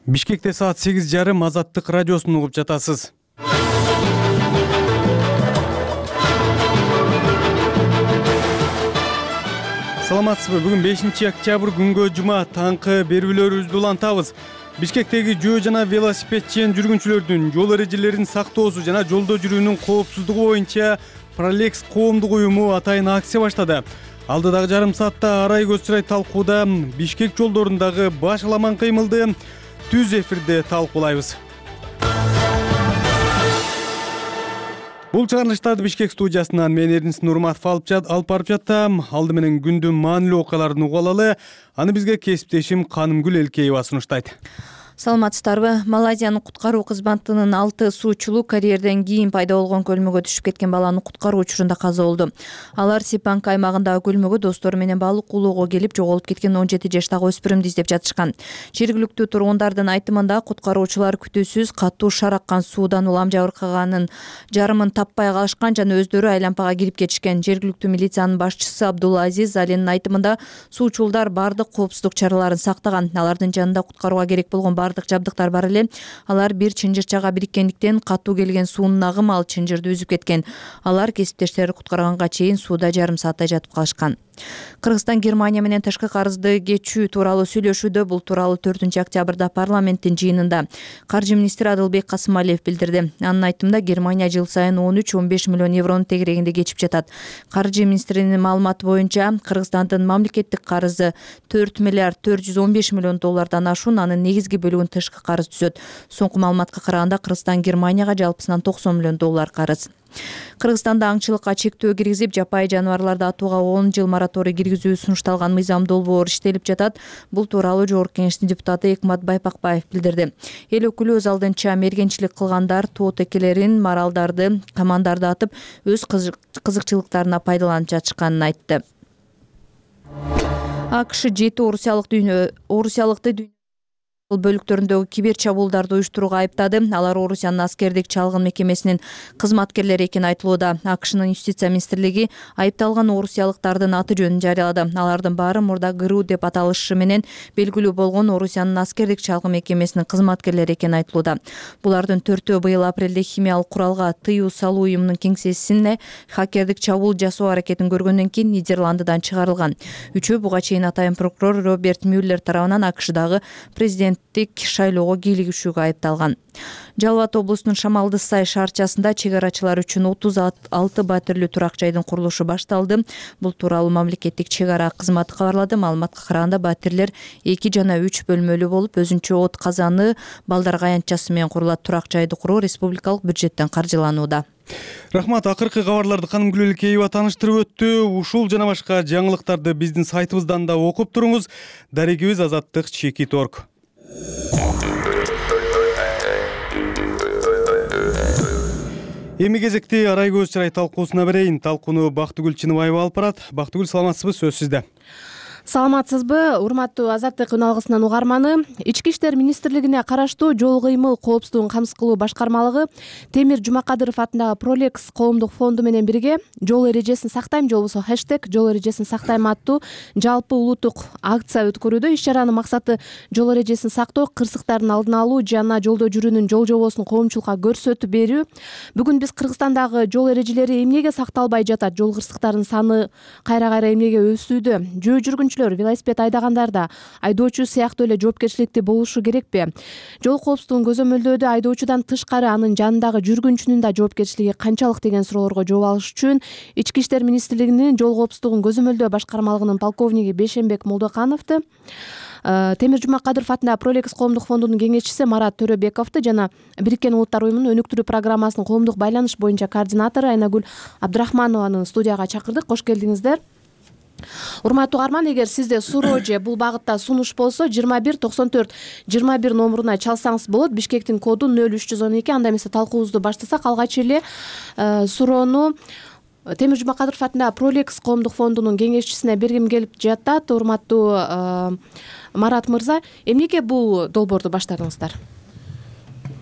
Бишкекте саат сегиз жарым Азаттык радиосун угуп жатасыз. Саламатсызбы? Бүгүн бешинчи октябрь күнгө жума таңкы берүүлөрүбүздү улантабыз. Бишкектеги жөө жана велосипедчен жүргүнчүлөрдүн жол эрежелерин сактоосу жана жолдо жүрүүнүн коопсуздугу боюнча Пролекс коомдук уюму атайын акция баштады. Алдыдагы жарым саатта арай көз чырай талкууда Бишкек жолдорундагы баш аламан кыймылды түз эфирде талкуулайбыз. Бул чыгарылыштарды Бишкек студиясынан мен Эрдинс Нурматов алып барып жаттым. Алды менен күндүн маанилүү окуяларын угуп алалы. Аны бизге кесиптешим Канымгүл Элкеева сунуштайт. Саламатсыздарбы? Малайзиянын куткаруу кызматынын алты суучулу карьерден кийин пайда болгон көлмөгө түшүп кеткен баланы куткаруу учурунда каза болду. Алар Сипанк аймагындагы көлмөгө достору менен балык улоого келип жоголуп кеткен он жети жаштагы өспүрүмдү издеп жатышкан. Жергиликтүү тургундардын айтымында куткаруучулар күтүүсүз катуу шар аккан суудан улам жабыркаганын жарымын таппай калышкан жана өздөрү айлампага кирип кетишкен. Жергиликтүү милициянын башчысы Абдулла Азиз Алинин айтымында суучулдар бардык коопсуздук чараларын сактаган. Алардын жанында куткарууга керек болгон бардык жабдыктар бар эле. Алар бир чынжырчага бириккендиктен катуу келген суунун агымы ал чынжырды үзүп кеткен. Алар кесиптештери куткарганга чейин сууда жарым сааттай жатып калышкан. Кыргызстан Германия менен тышкы карызды кечүү тууралуу сүйлөшүүдө. Бул тууралуу төртүнчү октябрда парламенттин жыйынында каржы министри Адылбек Касымалиев билдирди. Анын айтымында Германия жыл сайын он үч он беш миллион евронун тегерегинде кечип жатат. Каржы министринин маалыматы боюнча Кыргызстандын мамлекеттик карызы төрт миллиард төрт жүз он беш миллион доллардан ашуун, анын негизги бөлүгүн тышкы карыз түзөт. Соңку маалыматка караганда Кыргызстан Германияга жалпысынан токсон миллион доллар карыз. Кыргызстанда аңчылыкка чектөө киргизип, жапайы жаныбарларды атууга он жыл мораторий киргизүү сунушталган мыйзам долбоор иштелип жатат. Бул тууралуу Жогорку Кеңештин депутаты Экмат Байпакбаев билдирди. Эл өкүлү өз алдынча мергенчилик кылгандар тоот экелерин, маралдарды, камандарды атып, өз кызыкчылыктарына пайдаланып жатышканын айтты. АКШ жети орусиялык дүйнө орусиялыкты дүйнө бөлүктөрүндөгү кибер чабуулдарды уюштурууга айыптады. Алар Орусиянын аскердик чалгын мекемесинин кызматкерлери экени айтылууда. АКШнын юстиция министрлиги айыпталган орусиялыктардын аты жөнүн жарыялады. Алардын баары мурда ГРУ деп аталышы менен белгилүү болгон Орусиянын аскердик чалгын мекемесинин кызматкерлери экени айтылууда. Булардын төртөө быйыл апрелде химиялык куралга тыюу салуу уюмунун кеңсесине хакердик чабуул жасоо аракетин көргөндөн кийин Нидерландыдан чыгарылган. Үчөө буга чейин атайын прокурор Роберт Мюллер тарабынан АКШдагы президент шайлоого кийлигишүүгө айыпталган. Жалал Абад облусунун Шамалды Сай шаарчасында чек арачылар үчүн отуз алты батирлүү турак жайдын курулушу башталды. Бул тууралуу мамлекеттик чек ара кызматы кабарлады. Маалыматка караганда батирлер эки жана үч бөлмөлүү болуп, өзүнчө от казаны, балдар аянтчасы менен курулат. Турак жайды куруу республикалык бюджеттен каржыланууда. Рахмат. Акыркы кабарларды Канымгүл Элкеева тааныштырып өттү. Ушул жана башка жаңылыктарды биздин сайтыбыздан да окуп туруңуз. Дарегибиз Азаттык чекит точка орг. Эми кезекти арай көз чырай талкуусуна берейин. Талкууну Бактыгүл Чыныбаева алып барат. Бактыгүл, саламатсызбы? Сөз сизде. Саламатсызбы, урматтуу Азаттык үналгысынын угарманы. Ички иштер министрлигине караштуу жол кыймыл коопсуздугун камсыз кылуу башкармалыгы Темир Жумакадыров атындагы Пролекс коомдук фонду менен бирге жол эрежесин сактайм же болбосо хэштег жол эрежесин сактайм аттуу жалпы улуттук акция өткөрүүдө. Иш чаранын максаты жол эрежесин сактоо, кырсыктардын алдын алуу жана жолдо жүрүүнүн жол жобосун коомчулукка көрсөтүп берүү. Бүгүн биз Кыргызстандагы жол эрежелери эмнеге сакталбай жатат, жол кырсыктарынын саны кайра-кайра эмнеге өсүүдө, жөө жүргүнчү велосипед айдагандарда айдоочу сыяктуу эле жоопкерчиликтүү болушу керекпи? Жол коопсуздугун көзөмөлдөөдө айдоочудан тышкары анын жанындагы жүргүнчүнүн да жоопкерчилиги канчалык деген суроолорго жооп алыш үчүн Ички иштер министрлигинин жол коопсуздугун көзөмөлдөө башкармалыгынын полковниги Бешенбек Молдокановду, Темир Жумакадыров атындагы Пролекс коомдук фондунун кеңешчиси Марат Төрөбековду жана Бириккен Улуттар уюмунун өнүктүрүү программасынын коомдук байланыш боюнча координатору Айнагүл Абдрахманованы студияга чакырдык. Кош келдиңиздер. Урматтуу угарман, эгер сизде суроо же бул багытта сунуш болсо жыйырма бир токсон төрт жыйырма бир номуруна чалсаңыз болот. Бишкектин коду нөл үч жүз он эки. Анда эмесе талкуубузду баштасак, алгач эле суроону Темир Жумакадыров атындагы Пролекс коомдук фондунун кеңешчисине бергим келип жатат. Урматтуу Марат мырза, эмнеге бул долбоорду баштадыңыздар?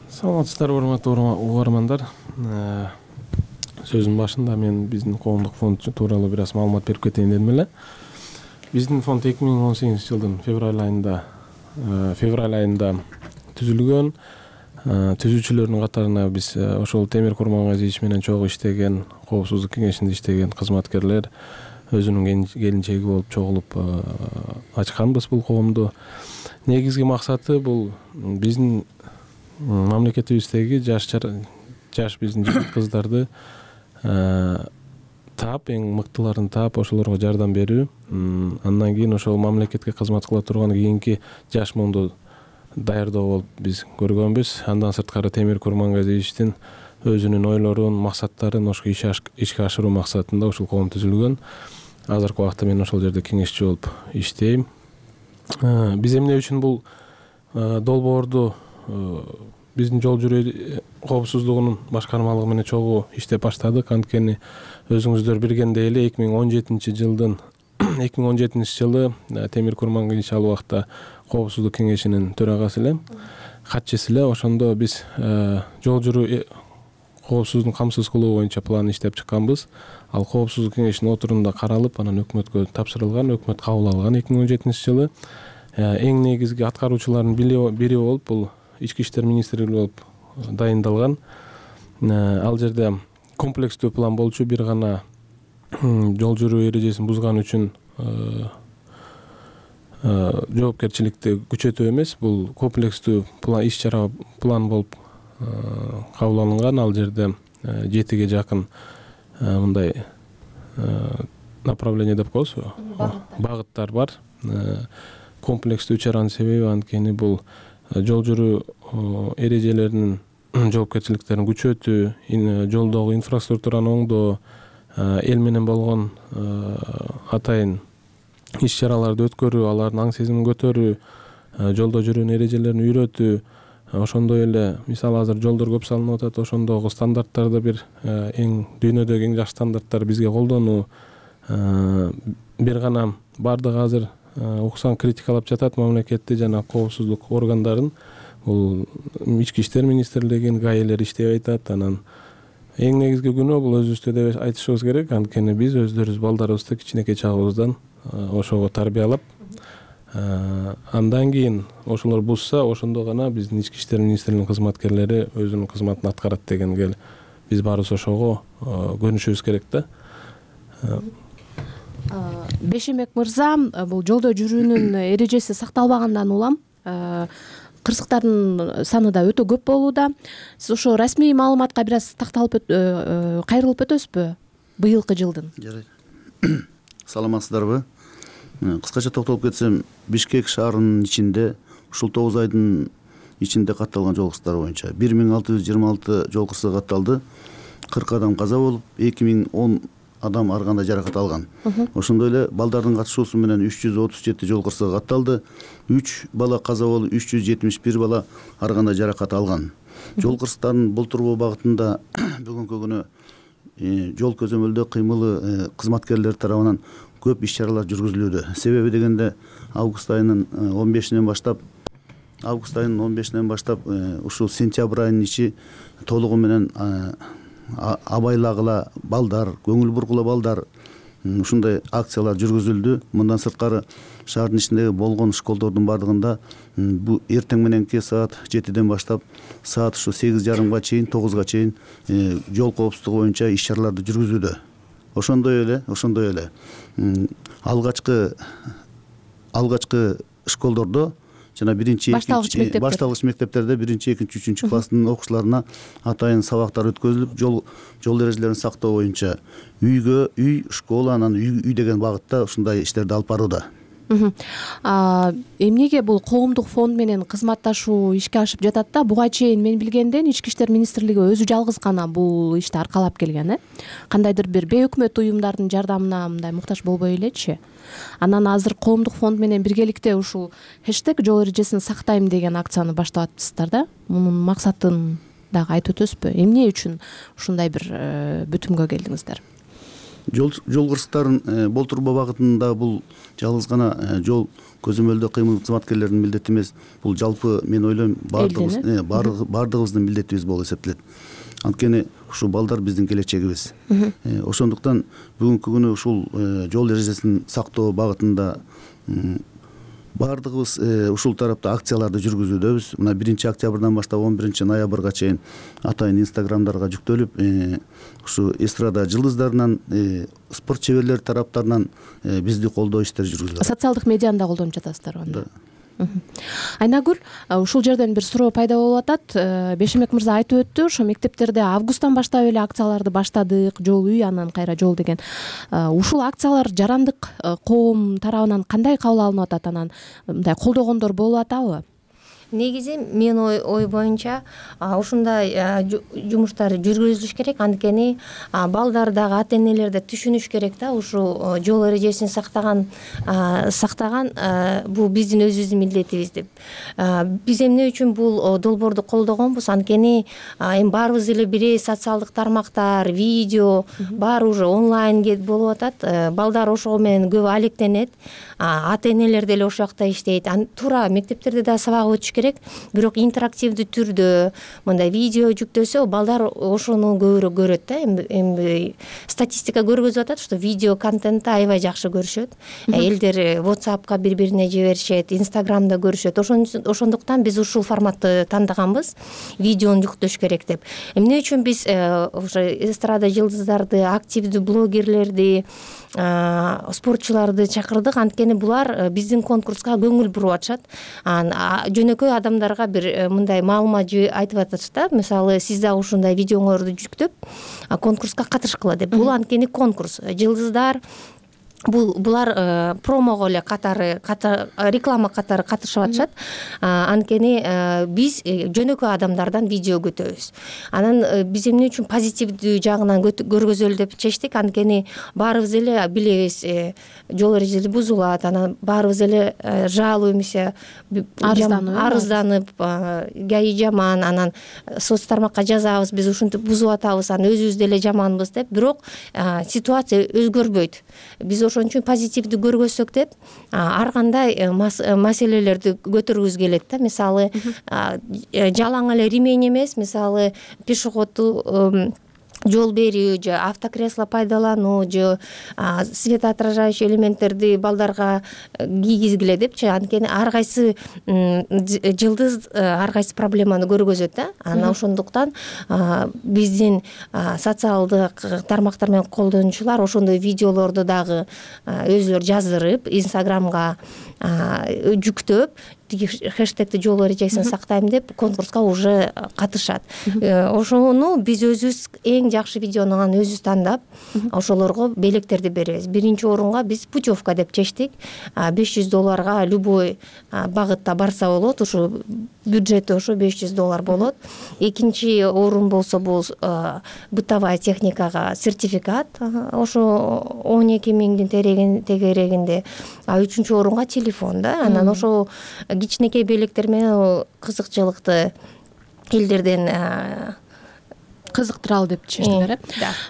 Саламатсыздарбы, урматтуу угармандар. Сөзүнүн башында мен биздин коомдук фонд тууралуу бир аз маалымат берип кетейин дедим эле. Биздин фонд эки миң он сегизинчи жылдын февраль айында февраль айында түзүлгөн. Түзүүчүлөрдүн катарына биз ошол Темир Курмангазиевич менен чогуу иштеген, коопсуздук кеңешинде иштеген кызматкерлер өзүнүн келинчеги болуп чогулуп ачканбыз бул коомду. Негизги максаты бул биздин мамлекетибиздеги жаш жаш биздин жигит кыздарды таап, эң мыктыларын таап, ошолорго жардам берүү. Андан кийин ошол мамлекетке кызмат кыла турган кийинки жаш муунду даярдоо болуп биз көргөнбүз. Андан сырткары Темир Курмангазиевичтин өзүнүн ойлорун, максаттарын ошо ишке ашыруу максатында ушул коом түзүлгөн. Азыркы убакта мен ошол жерде кеңешчи болуп иштейм. Биз эмне үчүн бул долбоорду биздин жол жүрүү коопсуздугунун башкармалыгы менен чогуу иштеп баштадык. Анткени өзүңүздөр билгендей эле эки миң он жетинчи жылдын эки миң он жетинчи жылы Темир Курмангазиевич ал убакта коопсуздук кеңешинин төрагасы эле, катчысы эле. Ошондо биз жол жүрүү коопсуздугун камсыз кылуу боюнча план иштеп чыкканбыз. Ал коопсуздук кеңешинин отурумунда каралып, анан өкмөткө тапшырылган, өкмөт кабыл алган эки миң он жетинчи жылы. Эң негизги аткаруучулардын бири болуп бул Ички иштер министрлиги болуп дайындалган. Ал жерде комплекстүү план болчу, бир гана жол жүрүү эрежесин бузган үчүн жоопкерчиликти күчөтүү эмес, бул комплекстүү план, иш чара план болуп кабыл алынган. Ал жерде жетиге жакын мындай направление деп коебузбу, багыттар бар. Комплекстүү чаранын себеби анткени бул жол жүрүү эрежелеринин жоопкерчиликтерин күчөтүү, жолдогу инфраструктураны оңдоо, эл менен болгон атайын иш чараларды өткөрүү, алардын аң сезимин көтөрүү, жолдо жүрүүнүн эрежелерин үйрөтүү. Ошондой эле мисалы азыр жолдор көп салынып атат, ошондогу стандарттарды бир эң дүйнөдөгү эң жакшы стандарттарды бизге колдонуу. Бир гана бардыгы азыр уксаң критикалап жатат мамлекетти жана коопсуздук органдарын. Бул Ички иштер министрлигин, гаилер иштеп атат. Анан эң негизги күнөө бул өзүбүздө деп айтышыбыз керек. Анткени биз өздөрүбүз балдарыбызды кичинекей чагыбыздан ошого тарбиялап, андан кийин ошолор бузса, ошондо гана биздин Ички иштер министрлигинин кызматкерлери өзүнүн кызматын аткарат дегенге биз баарыбыз ошого көнүшүбүз керек да. Бешемек мырза, бул жолдо жүрүүнүн эрежеси сакталбагандан улам кырсыктардын саны да өтө көп болууда. Сиз ошо расмий маалыматка бир аз такталып кайрылып өтөсүзбү быйылкы жылдын? Жарайт. Саламатсыздарбы? Кыскача токтолуп кетсем, Бишкек шаарынын ичинде ушул тогуз айдын ичинде катталган жол кырсыктары боюнча бир миң алты жүз жыйырма алты жол кырсыгы катталды. кырк адам каза болуп, эки миң он адам ар кандай жаракат алган. Ошондой эле балдардын катышуусу менен үч жүз отуз жети жол кырсыгы катталды. үч бала каза болуп, үч жүз жетимиш бир бала ар кандай жаракат алган. Жол кырсыктарын болтурбоо багытында бүгүнкү күнү жол көзөмөлдөө кыймылы кызматкерлер тарабынан көп иш чаралар жүргүзүлүүдө. Себеби дегенде август айынын он бешинен баштап август айынын он бешинен баштап ушул сентябрь айынын ичи толугу менен абайлагыла балдар, көңүл бургула балдар, ушундай акциялар жүргүзүлдү. Мындан сырткары шаардын ичиндеги болгон школдордун бардыгында бу эртең мененки саат жетиден баштап саат ушу сегиз жарымга чейин, тогузга чейин жол коопсуздугу боюнча иш чараларды жүргүзүүдө. Ошондой эле, ошондой эле алгачкы алгачкы школдордо жана биринчи экинчи башталгыч мектептерде биринчи, экинчи, үчүнчү класстын окуучуларына атайын сабактар өткөзүлүп, жол жол эрежелерин сактоо боюнча үйгө үй, школа, анан үй үй деген багытта ушундай иштерди алып барууда. Эмнеге бул коомдук фонд менен кызматташуу ишке ашып жатат да? Буга чейин мен билгенден Ички иштер министрлиги өзү жалгыз гана бул ишти аркалап келген, э? Кандайдыр бир бейөкмөт уюмдардын жардамына мындай муктаж болбой элечи. Анан азыр коомдук фонд менен биргеликте ушул хэштег жол эрежесин сактайм деген акцияны баштап атыпсыздар да? Мунун максатын дагы айтып өтөсүзбү? Эмне үчүн ушундай бир бүтүмгө келдиңиздер? Жол жол кырсыктарын болтурбоо багытында бул жалгыз гана жол көзөмөлдөө кыймыл кызматкерлеринин милдети эмес. Бул жалпы мен ойлойм баардыгыбыз баардыгыбыздын милдетибиз болуп эсептелет. Анткени ушул балдар биздин келечегибиз. Ошондуктан бүгүнкү күнү ушул жол эрежесин сактоо багытында баардыгыбыз ушул тарапта акцияларды жүргүзүүдөбүз. Мына биринчи октябрдан баштап он биринчи ноябрга чейин атайын инстаграмдарга жүктөлүп, ушу эстрада жылдыздарынан, спорт чеберлери тараптарынан бизди колдоо иштери жүргүзүлөт. Социалдык медианы да колдонуп жатасыздар анда. Айнагүл, ушул жерден бир суроо пайда болуп атат. Бешемек мырза айтып өттү, ошо мектептерде августтан баштап эле акцияларды баштадык, жол үй, анан кайра жол деген. Ушул акциялар жарандык коом тарабынан кандай кабыл алынып атат, анан мындай колдогондор болуп атабы? Негизи мен ой боюнча ушундай жумуштар жүргүзүлүш керек, анткени балдар дагы ата энелер да түшүнүш керек да, ушул жол эрежесин сактаган сактаган бул биздин өзүбүздүн милдетибиз деп. Биз эмне үчүн бул долбоорду колдогонбуз? Анткени эми баарыбыз эле бир социалдык тармактар, видео баары уже онлайн болуп атат. Балдар ошого менен көп алектенет. Ата энелер деле ошол жакта иштейт. Туура мектептерде да сабак өтүш керек, бирок интерактивдүү түрдө мындай видео жүктөсө балдар ошону көбүрөөк көрөт да. Эми статистика көргөзүп атат, что видео контентти аябай жакшы көрүшөт. Элдер WhatsAppка бири-бирине жиберишет, Instagramда көрүшөт. Ошондуктан биз ушул форматты тандаганбыз, видеону жүктөш керек деп. Эмне үчүн биз ошо эстрада жылдыздарды, активдүү блогерлерди, спортчуларды чакырдык? Анткени булар биздин конкурска көңүл буруп атышат. Жөнөкөй адамдарга бир мындай маалымат айтып атышат да, мисалы сиз дагы ушундай видеоңорду жүктөп конкурска катышкыла деп. Бул анткени конкурс. Жылдыздар булар промого эле катары, реклама катары катышып атышат. Анткени биз жөнөкөй адамдардан видео күтөбүз. Анан биз эмне үчүн позитивдүү жагынан көргөзөлү деп чечтик? Анткени баарыбыз эле билебиз, жол эрежеси бузулат, анан баарыбыз эле жалуу эмесе арызданып, гаи жаман, анан соц тармакка жазабыз, биз ушинтип бузуп атабыз, анан өзүбүз деле жаманбыз деп. Бирок ситуация өзгөрбөйт. Биз ошон үчүн позитивдүү көргөзсөк деп ар кандай маселелерди көтөргүбүз келет да. Мисалы жалаң эле ремень эмес, мисалы пешеходду жол берүү же автокресло пайдалануу же светоотражающий элементтерди балдарга кийгизгиле депчи. Анткени ар кайсы жылдыз ар кайсы проблеманы көргөзөт да. Анан ошондуктан биздин социалдык тармактар менен колдонуучулар ошондой видеолорду дагы өзүлөрү жаздырып, Инстаграмга жүктөп, хэштегти жол эрежесин сактайм деп конкурска уже катышат. Ошону биз өзүбүз эң жакшы видеону анан өзүбүз тандап, ошолорго белектерди беребиз. Биринчи орунга биз путевка деп чечтик. беш жүз долларга любой багытта барса болот. Ушу бюджети ошо беш жүз доллар болот. Экинчи орун болсо бул бытовая техникага сертификат, ошо он эки миңдин тегерегинде. А үчүнчү орунга телефон да. Анан ошо кичинекей белектер менен кызыкчылыкты элдерден кызыктыралы деп чечтиңер, э?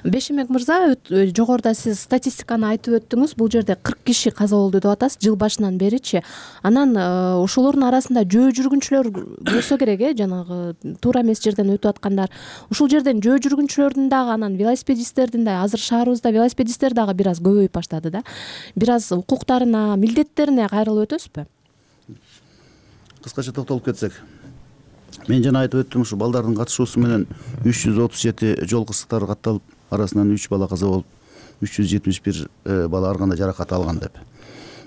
Бешемек мырза, жогоруда сиз статистиканы айтып өттүңүз. Бул жерде кырк киши каза болду деп атасыз жыл башынан беричи. Анан ошолордун арасында жөө жүргүнчүлөр болсо керек, э, жанагы туура эмес жерден өтүп аткандар. Ушул жерден жөө жүргүнчүлөрдүн дагы, анан велосипедисттердин да, азыр шаарыбызда велосипедисттер дагы бир аз көбөйүп баштады да. Бир аз укуктарына, милдеттерине кайрылып өтөсүзбү? Кыскача токтолуп кетсек, мен жана айтып өттүм, ушу балдардын катышуусу менен үч жүз отуз жети жол кырсыктары катталып, арасынан үч бала каза болуп, үч жүз жетимиш бир бала ар кандай жаракат алган деп.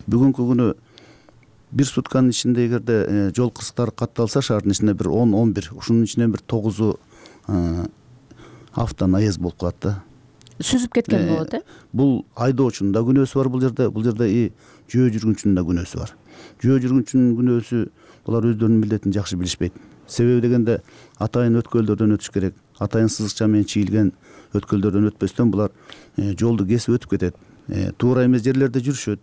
Бүгүнкү күнү бир сутканын ичинде эгерде жол кырсыктары катталса, шаардын ичинде бир он он бир, ушунун ичинен бир тогузу автонаезд болуп калат да. Сүзүп кеткен болот, э? Бул айдоочунун да күнөөсү бар бул жерде, бул жерде и жөө жүргүнчүнүн да күнөөсү бар. Жөө жүргүнчүнүн күнөөсү, булар өздөрүнүн милдетин жакшы билишпейт. Себеби дегенде атайын өткөлдөрдөн өтүш керек. Атайын сызыкча менен чийилген өткөлдөрдөн өтпөстөн булар жолду кесип өтүп кетет. Туура эмес жерлерде жүрүшөт.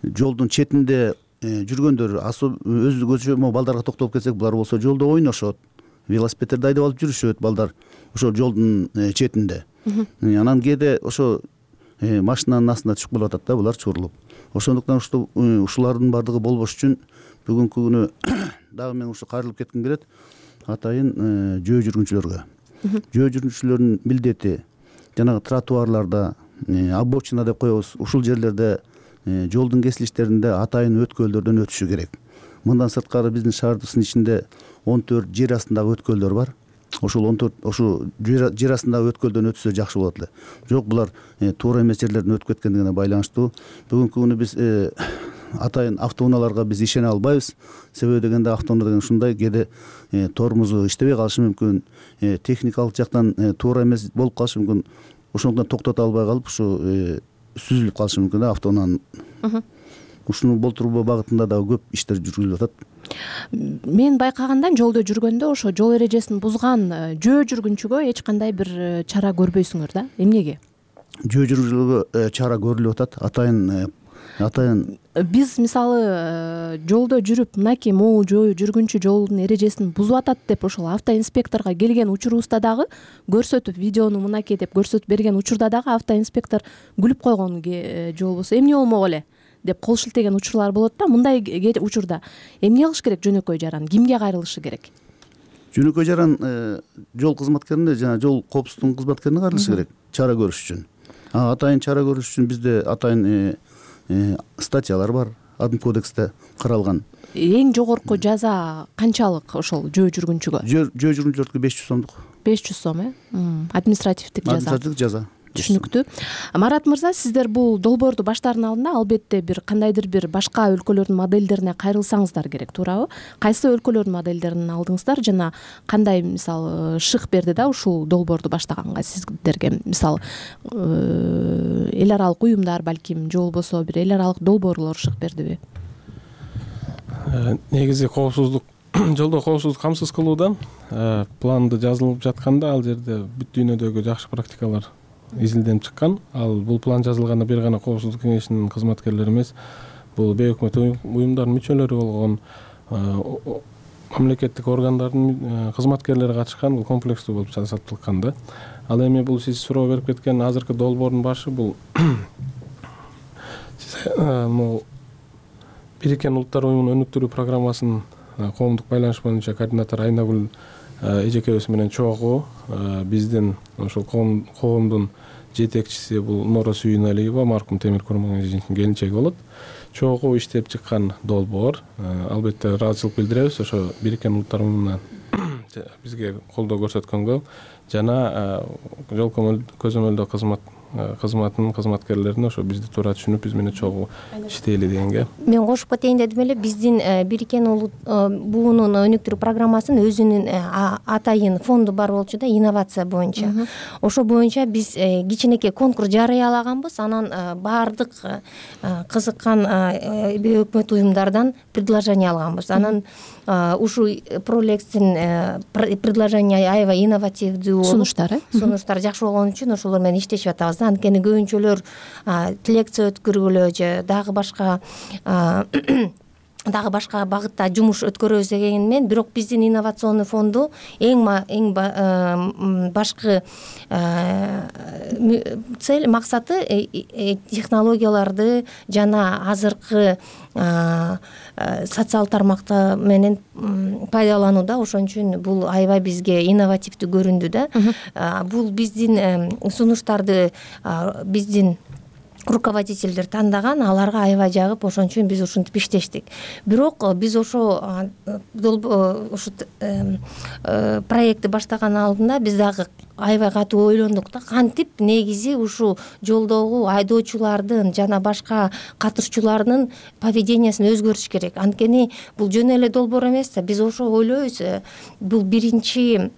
Жолдун четинде жүргөндөр, өзгөчө балдарга токтолуп кетсек, булар болсо жолдо ойношот. Велосипедтерди айдап алып жүрүшөт балдар ошо жолдун четинде. Анан кээде ошо машинанын астына түшүп калып атат да, булар чурулуп. Ошондуктан ушулардын баардыгы болбош үчүн бүгүнкү күнү дагы мен ушу кайрылып кетким келет атайын жөө жүргүнчүлөргө. Жөө жүргүнчүлөрдүн милдети жанагы тротуарларда, обочина деп коебуз, ушул жерлерде жолдун кесилиштеринде атайын өткөлдөрдөн өтүшү керек. Мындан сырткары биздин шаардын ичинде он төрт жер астындагы өткөлдөр бар. Ошол он төрт ошо жер астындагы өткөлдөн өтсө жакшы болот эле. Жок, булар туура эмес жерлерден өтүп кеткендигине байланыштуу. Бүгүнкү күнү биз атайын автоунааларга биз ишене албайбыз. Себеби дегенде автоунаа деген ушундай кээде тормозу иштебей калышы мүмкүн, техникалык жактан туура эмес болуп калышы мүмкүн. Ошондон токтото албай калып ушу сүзүлүп калышы мүмкүн да автоунаанын. Ушуну болтуруу багытында дагы көп иштер жүргүзүлүп атат. Мен байкаганда жолдо жүргөндө ошо жол эрежесин бузган жөө жүргүнчүгө эч кандай бир чара көрбөйсүңөр да. Эмнеге? Жөө жүргүнчүгө чара көрүлүп атат. Атайын атайын биз мисалы жолдо жүрүп мынакей могул жөө жүргүнчү жолдун эрежесин бузуп атат деп ошол автоинспекторго келген учурубузда дагы көрсөтүп, видеону мынакей деп көрсөтүп берген учурда дагы автоинспектор күлүп койгон жол болсо эмне болмок эле деп кол шилтеген учурлар болот да. Мындай учурда эмне кылыш керек? Жөнөкөй жаран кимге кайрылышы керек? Жөнөкөй жаран жол кызматкерине жана жол коопсуздугунун кызматкерине кайрылышы керек чара көрүш үчүн. Атайын чара көрүш үчүн бизде атайын статьялар бар, адым кодексте каралган. Эң жогорку жаза канчалык ошол жөө жүргүнчүгө? Жөө жүргүнчүлөргө беш жүз сомдук. беш жүз сом, э? Административдик жаза. Административдик жаза. Түшүнүктүү. Марат мырза, сиздер бул долбоорду баштаардын алдында албетте бир кандайдыр бир башка өлкөлөрдүн модельдерине кайрылсаңыздар керек, туурабы? Кайсы өлкөлөрдүн модельдерин алдыңыздар жана кандай мисалы шык берди да ушул долбоорду баштаганга сиздерге? Мисалы эл аралык уюмдар, балким же болбосо бир эл аралык долбоорлор шык бердиби? Негизи коопсуздук жолдо коопсуздук камсыз кылуудан планды жазылып жатканда ал жерде бүт дүйнөдөгү жакшы практикалар изилденип чыккан. Ал бул план жазылганда бир гана коопсуздук кеңешинин кызматкерлери эмес, бул бейөкмөт уюмдардын мүчөлөрү болгон мамлекеттик органдардын кызматкерлери катышкан. Бул комплекстүү болуп жасалткан да. Ал эми бул сиз суроо берип кеткен азыркы долбоордун башы бул Бириккен Улуттар уюмунун өнүктүрүү программасынын коомдук байланыш боюнча координатор Айнагүл эжекебиз менен чогуу биздин ошол коомдун жетекчиси бул Нора Сүйүналиева, маркум Темир Курман эженин келинчеги болот. Чогуу иштеп чыккан долбоор. Албетте ыраазычылык билдиребиз ошо Бириккен Улуттар уюмунан бизге колдоо көрсөткөнгө жана жол көзөмөлдөө кызмат кызматынын кызматкерлерине ошо бизди туура түшүнүп биз менен чогуу иштейли дегенге. Мен кошуп кетейин дедим эле. Биздин Бириккен буунун өнүктүрүү программасынын өзүнүн атайын фонду бар болчу да, инновация боюнча. Ошо боюнча биз кичинекей конкурс жарыялаганбыз. Анан баардык кызыккан бейөкмөт уюмдардан предложение алганбыз. Анан ушул пролектин предложение аябай инновативдүү болуп, сунуштар сунуштар жакшы болгон үчүн ошолор менен иштешип атабыз. Анткени көбүнчөлөр лекция өткөргүлө же дагы башка дагы башка багытта жумуш өткөрөбүз дегенмен, бирок биздин инновационный фонду эң эң башкы цель, максаты технологияларды жана азыркы социал тармакта менен пайдаланууда. Ошон үчүн бул аябай бизге инновативдүү көрүндү да. Бул биздин сунуштарды биздин руководительдер тандаган, аларга аябай жагып, ошон үчүн биз ушинтип иштештик. Бирок биз ошо ушу проектти баштаган алдында биз дагы аябай катуу ойлондук да, кантип негизи ушу жолдогу айдоочулардын жана башка катышчулардын поведениясын өзгөртүш керек. Анткени бул жөн эле долбоор эмес да. Биз ошо ойлойбуз, бул биринчи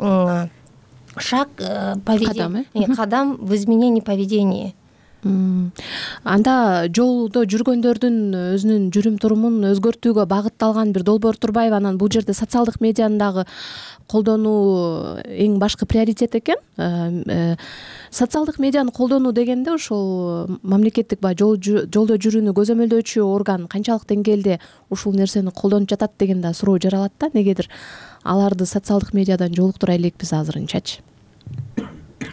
шаг, кадам в изменении поведения. Анда жолдо жүргөндөрдүн өзүнүн жүрүм турумун өзгөртүүгө багытталган бир долбоор турбайбы? Анан бул жерде социалдык медианын дагы колдонуу эң башкы приоритет экен. Социалдык медианы колдонуу дегенде ошол мамлекеттик баягы жолдо жүрүүнү көзөмөлдөөчү орган канчалык деңгээлде ушул нерсени колдонуп жатат деген да суроо жаралат да. Негедир аларды социалдык медиадан жолуктура элекпиз азырынчачы?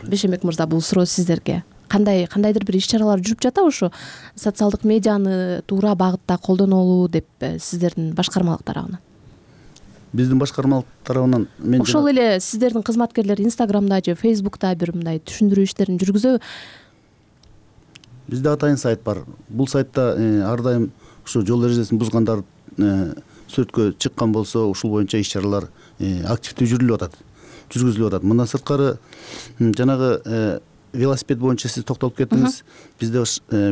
Бешембек мырза, бул суроо сиздерге. Кандай кандайдыр бир иш-чаралар жүрүп жатабы ушу социалдык медианы туура багытта колдонолу деп сиздердин башкармалык тарабынан? Биздин башкармалык тарабынан мен ошол эле сиздердин кызматкерлер Инстаграмда же Фейсбукта бир мындай түшүндүрүү иштерин жүргүзөбү? бизде атайын сайт бар. Бул сайтта ар дайым ушу жол эрежесин бузгандар сүрөткө чыккан болсо ушул боюнча иш чаралар активдүү жүрүлүп атат, жүргүзүлүп атат. Мындан сырткары жанагы велосипед боюнча сиз токтолуп кеттиңиз. Бизде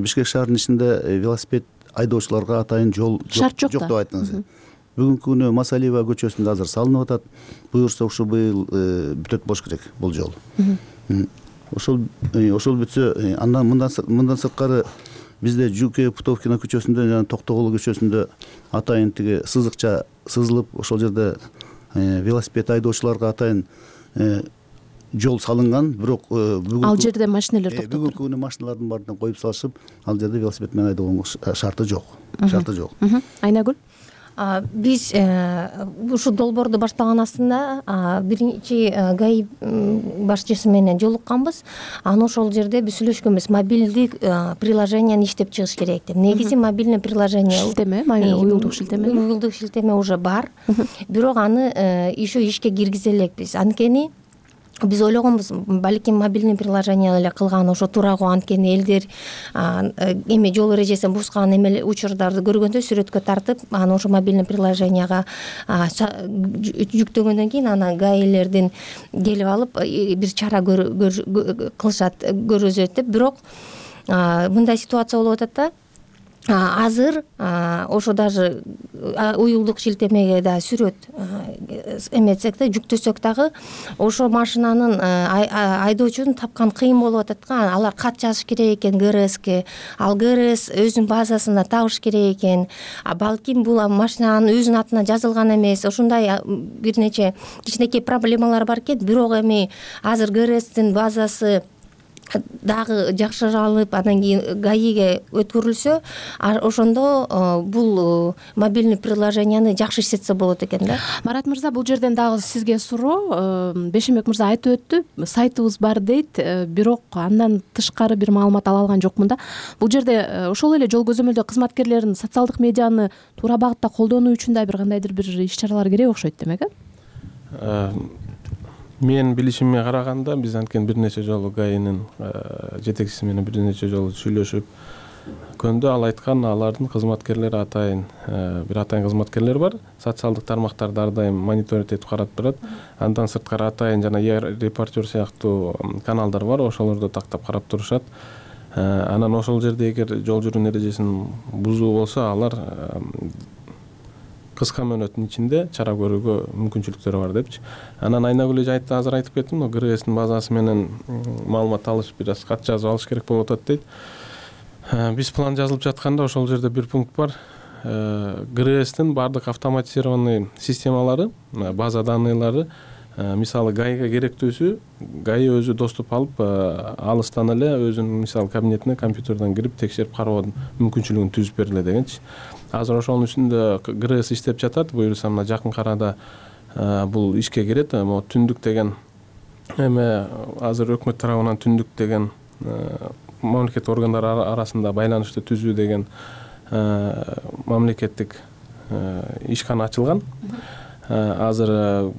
Бишкек шаарынын ичинде велосипед айдоочуларга атайын жол жок деп айттыңыз. Бүгүнкү күнү Масалиева көчөсүндө азыр салынып атат. Буюрса ушу быйыл бүтөт болуш керек бул жол. Ошол ошол бүтсө, андан мындан сырткары бизде Жуке Путовкина көчөсүндө жана Токтогул көчөсүндө атайын тиги сызыкча сызылып, ошол жерде велосипед айдоочуларга атайын жол салынган. Бирок бүгүн ал жерде машиналар токтоп бүгүнкү күнү машиналардын баарын коюп салышып, ал жерде велосипед менен айдоонго шарты жок. Шарты жок. Айнагүл, биз ушу долбоорду баштаган астында биринчи ГАИ башчысы менен жолукканбыз. Анан ошол жерде биз сүйлөшкөнбүз, мобилдик приложенияны иштеп чыгыш керек деп. Негизи мобильный приложение шилтеме, уюлдук шилтеме уюлдук шилтеме уже бар. Бирок аны еще ишке киргизе элекпиз. Анткени биз ойлогонбуз, балким мобильный приложение эле кылган ошо туурагы, анткени элдер эме жол эрежесин бузган эме учурларды көргөндө сүрөткө тартып, анан ошо мобильный приложенияга жүктөгөндөн кийин анан гаилердин келип алып бир чара кылышат, көргөзөт деп. Бирок мындай ситуация болуп атат да. Азыр ошо даже уюлдук шилтемеге да сүрөт эметсек да, жүктөсөк дагы ошо машинанын айдоочунун тапкан кыйын болуп атат да. Алар кат жазыш керек экен ГРСке, ал ГРС өзүнүн базасына табыш керек экен. Балким бул машинанын өзүнүн атына жазылган эмес. Ошондой бир нече кичинекей проблемалар бар экен. Бирок эми азыр ГРСтин базасы дагы жакшыралып, анан кийин ГАИге өткөрүлсө, ошондо бул мобильный приложенияны жакшы иштетсе болот экен да. Марат мырза, бул жерден дагы сизге суроо. Бешембек мырза айтып өттү, сайтыбыз бар дейт, бирок андан тышкары бир маалымат ала алган жокмун да. Бул жерде ошол эле жол көзөмөлдөө кызматкерлерин социалдык медианы туура багытта колдонуу үчүн да бир кандайдыр бир иш-чаралар керек окшойт демек, э? Мен билишимге караганда биз анткени бир нече жолу ГАИнин жетекчиси менен бир нече жолу сүйлөшүп көндө, ал айткан, алардын кызматкерлери атайын бир атайын кызматкерлер бар. Социалдык тармактарды ар дайым мониторинг этип карап турат. Андан сырткары атайын жана репортер сыяктуу каналдар бар, ошолорду тактап карап турушат. Анан ошол жерде эгер жол жүрүү эрежесин бузуу болсо, алар кыска мөөнөттүн ичинде чара көрүүгө мүмкүнчүлүктөрү бар депчи. Анан Айнагүл эже айтты, азыр айтып кеттим, ГРСтин базасы менен маалымат алыш, бир аз кат жазып алыш керек болуп атат дейт. Биз план жазылып жатканда ошол жерде бир пункт бар. ГРСтин баардык автоматизированный системалары, база данныйлары, мисалы ГАИга керектүүсү, ГАИ өзү доступ алып, алыстан эле өзүнүн мисалы кабинетине компьютерден кирип текшерип кароо мүмкүнчүлүгүн түзүп бергиле дегенчи. Азыр ошонун үстүндө ГРС иштеп жатат. Буюрса мына жакын арада бул ишке кирет. Могу түндүк деген эме азыр өкмөт тарабынан түндүк деген мамлекеттик органдар арасында байланышты түзүү деген мамлекеттик ишкана ачылган. Азыр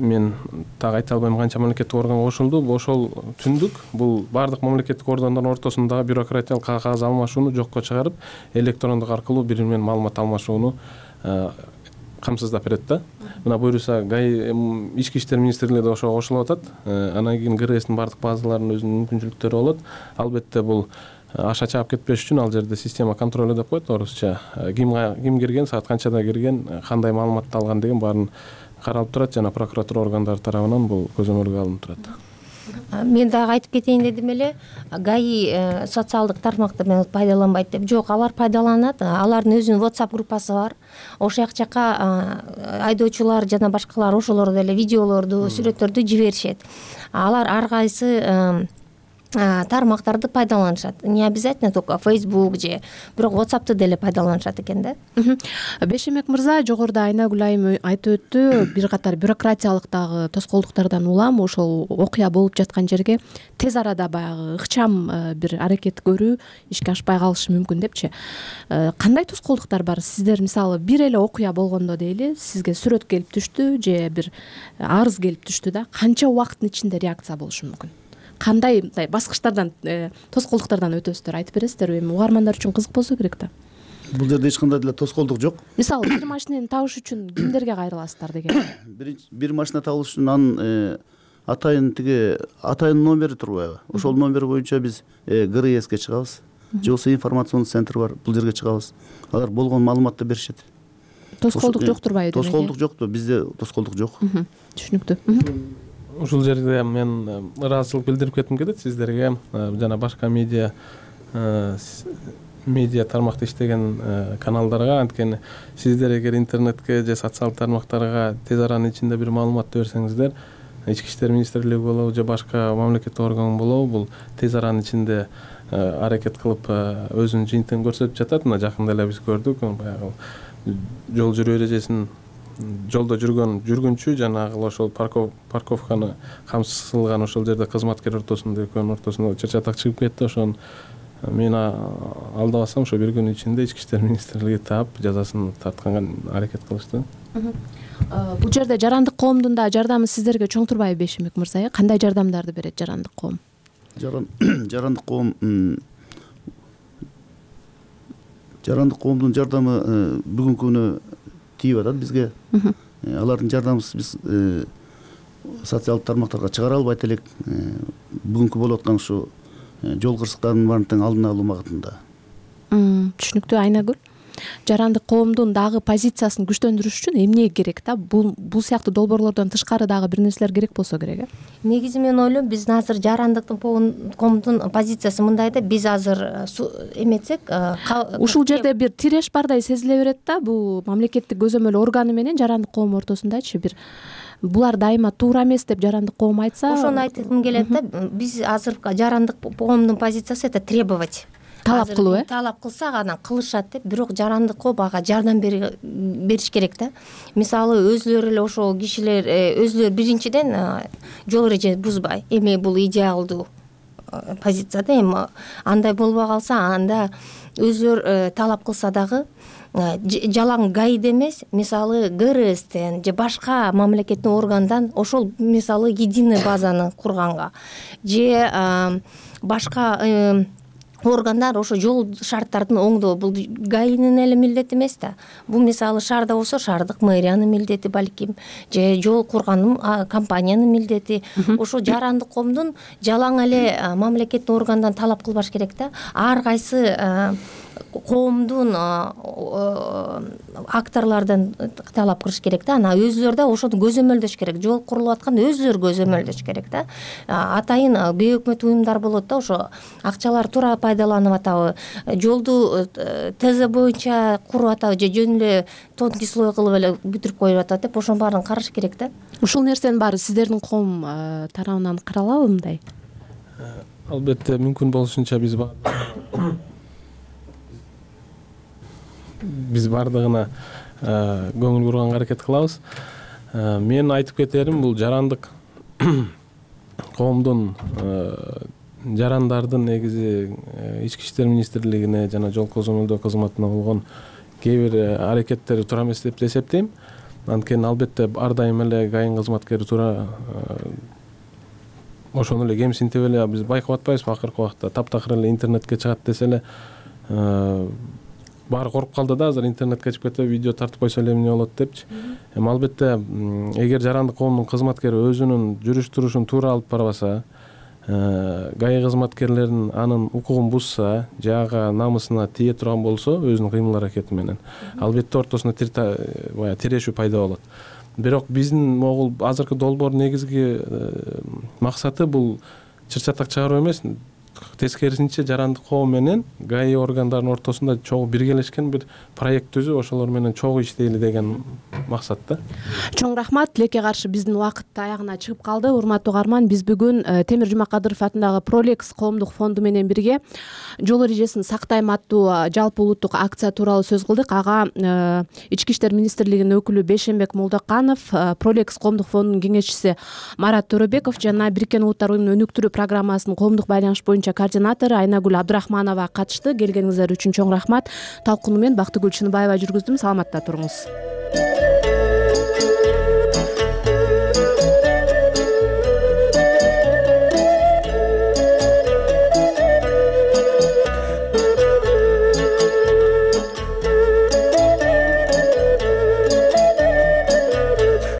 мен так айта албайм канча мамлекеттик органга кошулду. Ошол түндүк бул баардык мамлекеттик органдардын ортосундагы бюрократиялык кагаз алмашууну жокко чыгарып, электрондук аркылуу бири бири менен маалымат алмашууну камсыздап берет да. Мына буюрса ГАИ ички иштер министрлиги ошого кошулуп атат. Анан кийин ГРСтин баардык базаларынын өзүнүн мүмкүнчүлүктөрү болот. Албетте бул аша чаап кетпеш үчүн ал жерде система контролу деп коет орусча. Ким ким кирген, саат канчада кирген, кандай маалыматты алган деген баарын каралып турат жана прокуратура органдары тарабынан бул көзөмөлгө алынып турат. Мен дагы айтып кетейин дедим эле, ГАИ социалдык тармактарды пайдаланбайт деп. Жок, алар пайдаланат. Алардын өзүнүн WhatsApp группасы бар. Ошол жакка айдоочулар жана башкалар ошолорду эле видеолорду, сүрөттөрдү жиберишет. Алар ар кайсы тармактарды пайдаланышат. Не обязательно только Facebook же, бирок WhatsApp'ты деле пайдаланышат экен да. Бешембек мырза, жогоруда Айнагүл айым айтып өттү, бир катар бюрократиялык дагы тоскоолдуктардан улам ошол окуя болуп жаткан жерге тез арада баягы ыкчам бир аракет көрүү ишке ашпай калышы мүмкүн депчи. Кандай тоскоолдуктар бар? Сиздер мисалы бир эле окуя болгондо дейли, сизге сүрөт келип түштү же бир арыз келип түштү да, канча убакыттын ичинде реакция болушу мүмкүн? кандай мындай баскычтардан тоскоолдуктардан өтөсүздөр айтып бересиздерби? Эми угармандар үчүн кызык болсо керек да. Бул жерде эч кандай деле тоскоолдук жок. Мисалы бир машинени табыш үчүн кимдерге кайрыласыздар деген? Бир машина табыш үчүн анын атайын тиги атайын номери турбайбы? Ошол номер боюнча биз ГРСке чыгабыз. Же болбосо информационный центр бар, бул жерге чыгабыз. Алар болгон маалыматты беришет. Тоскоолдук жок турбайбы? Тоскоолдук жокпу? Бизде тоскоолдук жок. Түшүнүктүү. Ушул жерде мен ыраазычылык билдирип кетким келет сиздерге жана башка медиа медиа тармакта иштеген каналдарга. Анткени сиздер эгер интернетке же социалдык тармактарга тез аранын ичинде бир маалыматты берсеңиздер, ички иштер министрлиги болобу же башка мамлекеттик орган болобу, бул тез аранын ичинде аракет кылып өзүнүн жыйынтыгын көрсөтүп жатат. Мына жакында эле биз көрдүк, баягы жол жүрүү эрежесин жолдо жүргөн жүргүнчү жанагы ошол парковканы камсызган ошол жерде кызматкер ортосунда экөөнүн ортосунда чыр-чатак чыгып кетти. Ошону мен алдабасам ошо бир күн ичинде ички иштер министрлиги таап жазасын тартканга аракет кылышты. Бул жерде жарандык коомдун да жардамы сиздерге чоң турбайбы Бешимбек мырза? Кандай жардамдарды берет жарандык коом? Жарандык коом жарандык коомдун жардамы бүгүнкү күнү тийип атат бизге. Алардын жардамын биз социалдык тармактарга чыгара албайт элек. Бүгүнкү болуп аткан ушу жол кырсыктарынын баарын тең алдын алуу магатында. Түшүнүктүү. Айнагүл, жарандык коомдун дагы позициясын күчтөндүрүш үчүн эмне керек да? Бул бул сыяктуу долбоорлордон тышкары дагы бир нерселер керек болсо керек, э? Негизи мен ойлойм, биз азыр жарандык коомдун позициясы мындай да, биз азыр эметсек, ушул жерде бир тиреш бардай сезиле берет да, бул мамлекеттик көзөмөл органы менен жарандык коом ортосундачы бир булар дайыма туура эмес деп жарандык коом айтса, ошону айткым келет да. Биз азыр жарандык коомдун позициясы это требовать. Талап кылуу, э? Талап кылсак анан кылышат деп, бирок жарандык коом ага жардам бериш керек да. Мисалы өзүлөрү эле ошол кишилер өзүлөр биринчиден жол эрежесин бузбай, эми бул идеалдуу позиция да. Эми андай болбой калса, анда өзүлөр талап кылса дагы жалаң гаиде эмес, мисалы ГРСтен же башка мамлекеттик органдан ошол мисалы единый базаны курганга же башка органдар ошо жол шарттарын оңдоо, бул гаинин эле милдети эмес да. Бул мисалы шаарда болсо шаардык мэриянын милдети балким, же жол курган компаниянын милдети. Ошо жарандык коомдун жалаң эле мамлекеттик органдан талап кылбаш керек да. Ар кайсы коомдун акторлордон талап кылыш керек да. Анан өзүлөр да ошону көзөмөлдөш керек. Жол курулуп атканда өзүлөр көзөмөлдөш керек да. Атайын бейөкмөт уюмдар болот да, ошо акчалар туура пайдаланып атабы, жолду ТЗ боюнча куруп атабы же жөн эле тонкий слой кылып эле бүтүрүп коюп атат деп, ошонун баарын караш керек да. Ушул нерсенин баары сиздердин коом тарабынан каралабы мындай? Албетте мүмкүн болушунча биз биз баардыгына көңүл бурганга аракет кылабыз. Мен айтып кетерим, бул жарандык коомдун жарандардын негизи ички иштер министрлигине жана жол көзөмөлдөө кызматына болгон кээ бир аракеттери туура эмес деп эсептейм. Анткени албетте ар дайым эле гаин кызматкери туура ошону эле кемсинтип эле биз байкап атпайбызбы? Акыркы убакта таптакыр эле интернетке чыгат десе эле баары коруп калды да, азыр интернетке чыгып кетип видео тартып койсо эле эмне болот депчи. Эми албетте эгер жарандык коомдун кызматкери өзүнүн жүрүш турушун туура алып барбаса, гаи кызматкерлерин анын укугун бузса же ага намысына тие турган болсо өзүнүн кыймыл аракети менен, албетте ортосунда тирешүү пайда болот. Бирок биздин могул азыркы долбоордун негизги максаты бул чыр-чатак чыгаруу эмес, тескерисинче жарандык коом менен гаи органдарынын ортосунда чогуу биргелешкен бир проект түзүп, ошолор менен чогуу иштейли деген максатта. Чоң рахмат. Тилекке каршы биздин убакыт аягына чыгып калды. Урматтуу угарман, биз бүгүн Темир Жумакадыров атындагы Пролекс коомдук фонду менен бирге жол эрежесин сактайм аттуу жалпы улуттук акция тууралуу сөз кылдык. Ага ички иштер министрлигинин өкүлү Бешимбек Молдоканов, Пролекс коомдук фондунун кеңешчиси Марат Төрөбеков жана Бириккен Улуттар уюмунун өнүктүрүү программасынын коомдук байланыш боюнча координатору Айнагүл Абдрахманова катышты. Келгениңиздер үчүн чоң рахмат. Талкууну мен Бактыгүл Чыныбаева жүргүздүм. Саламатта туруңуз.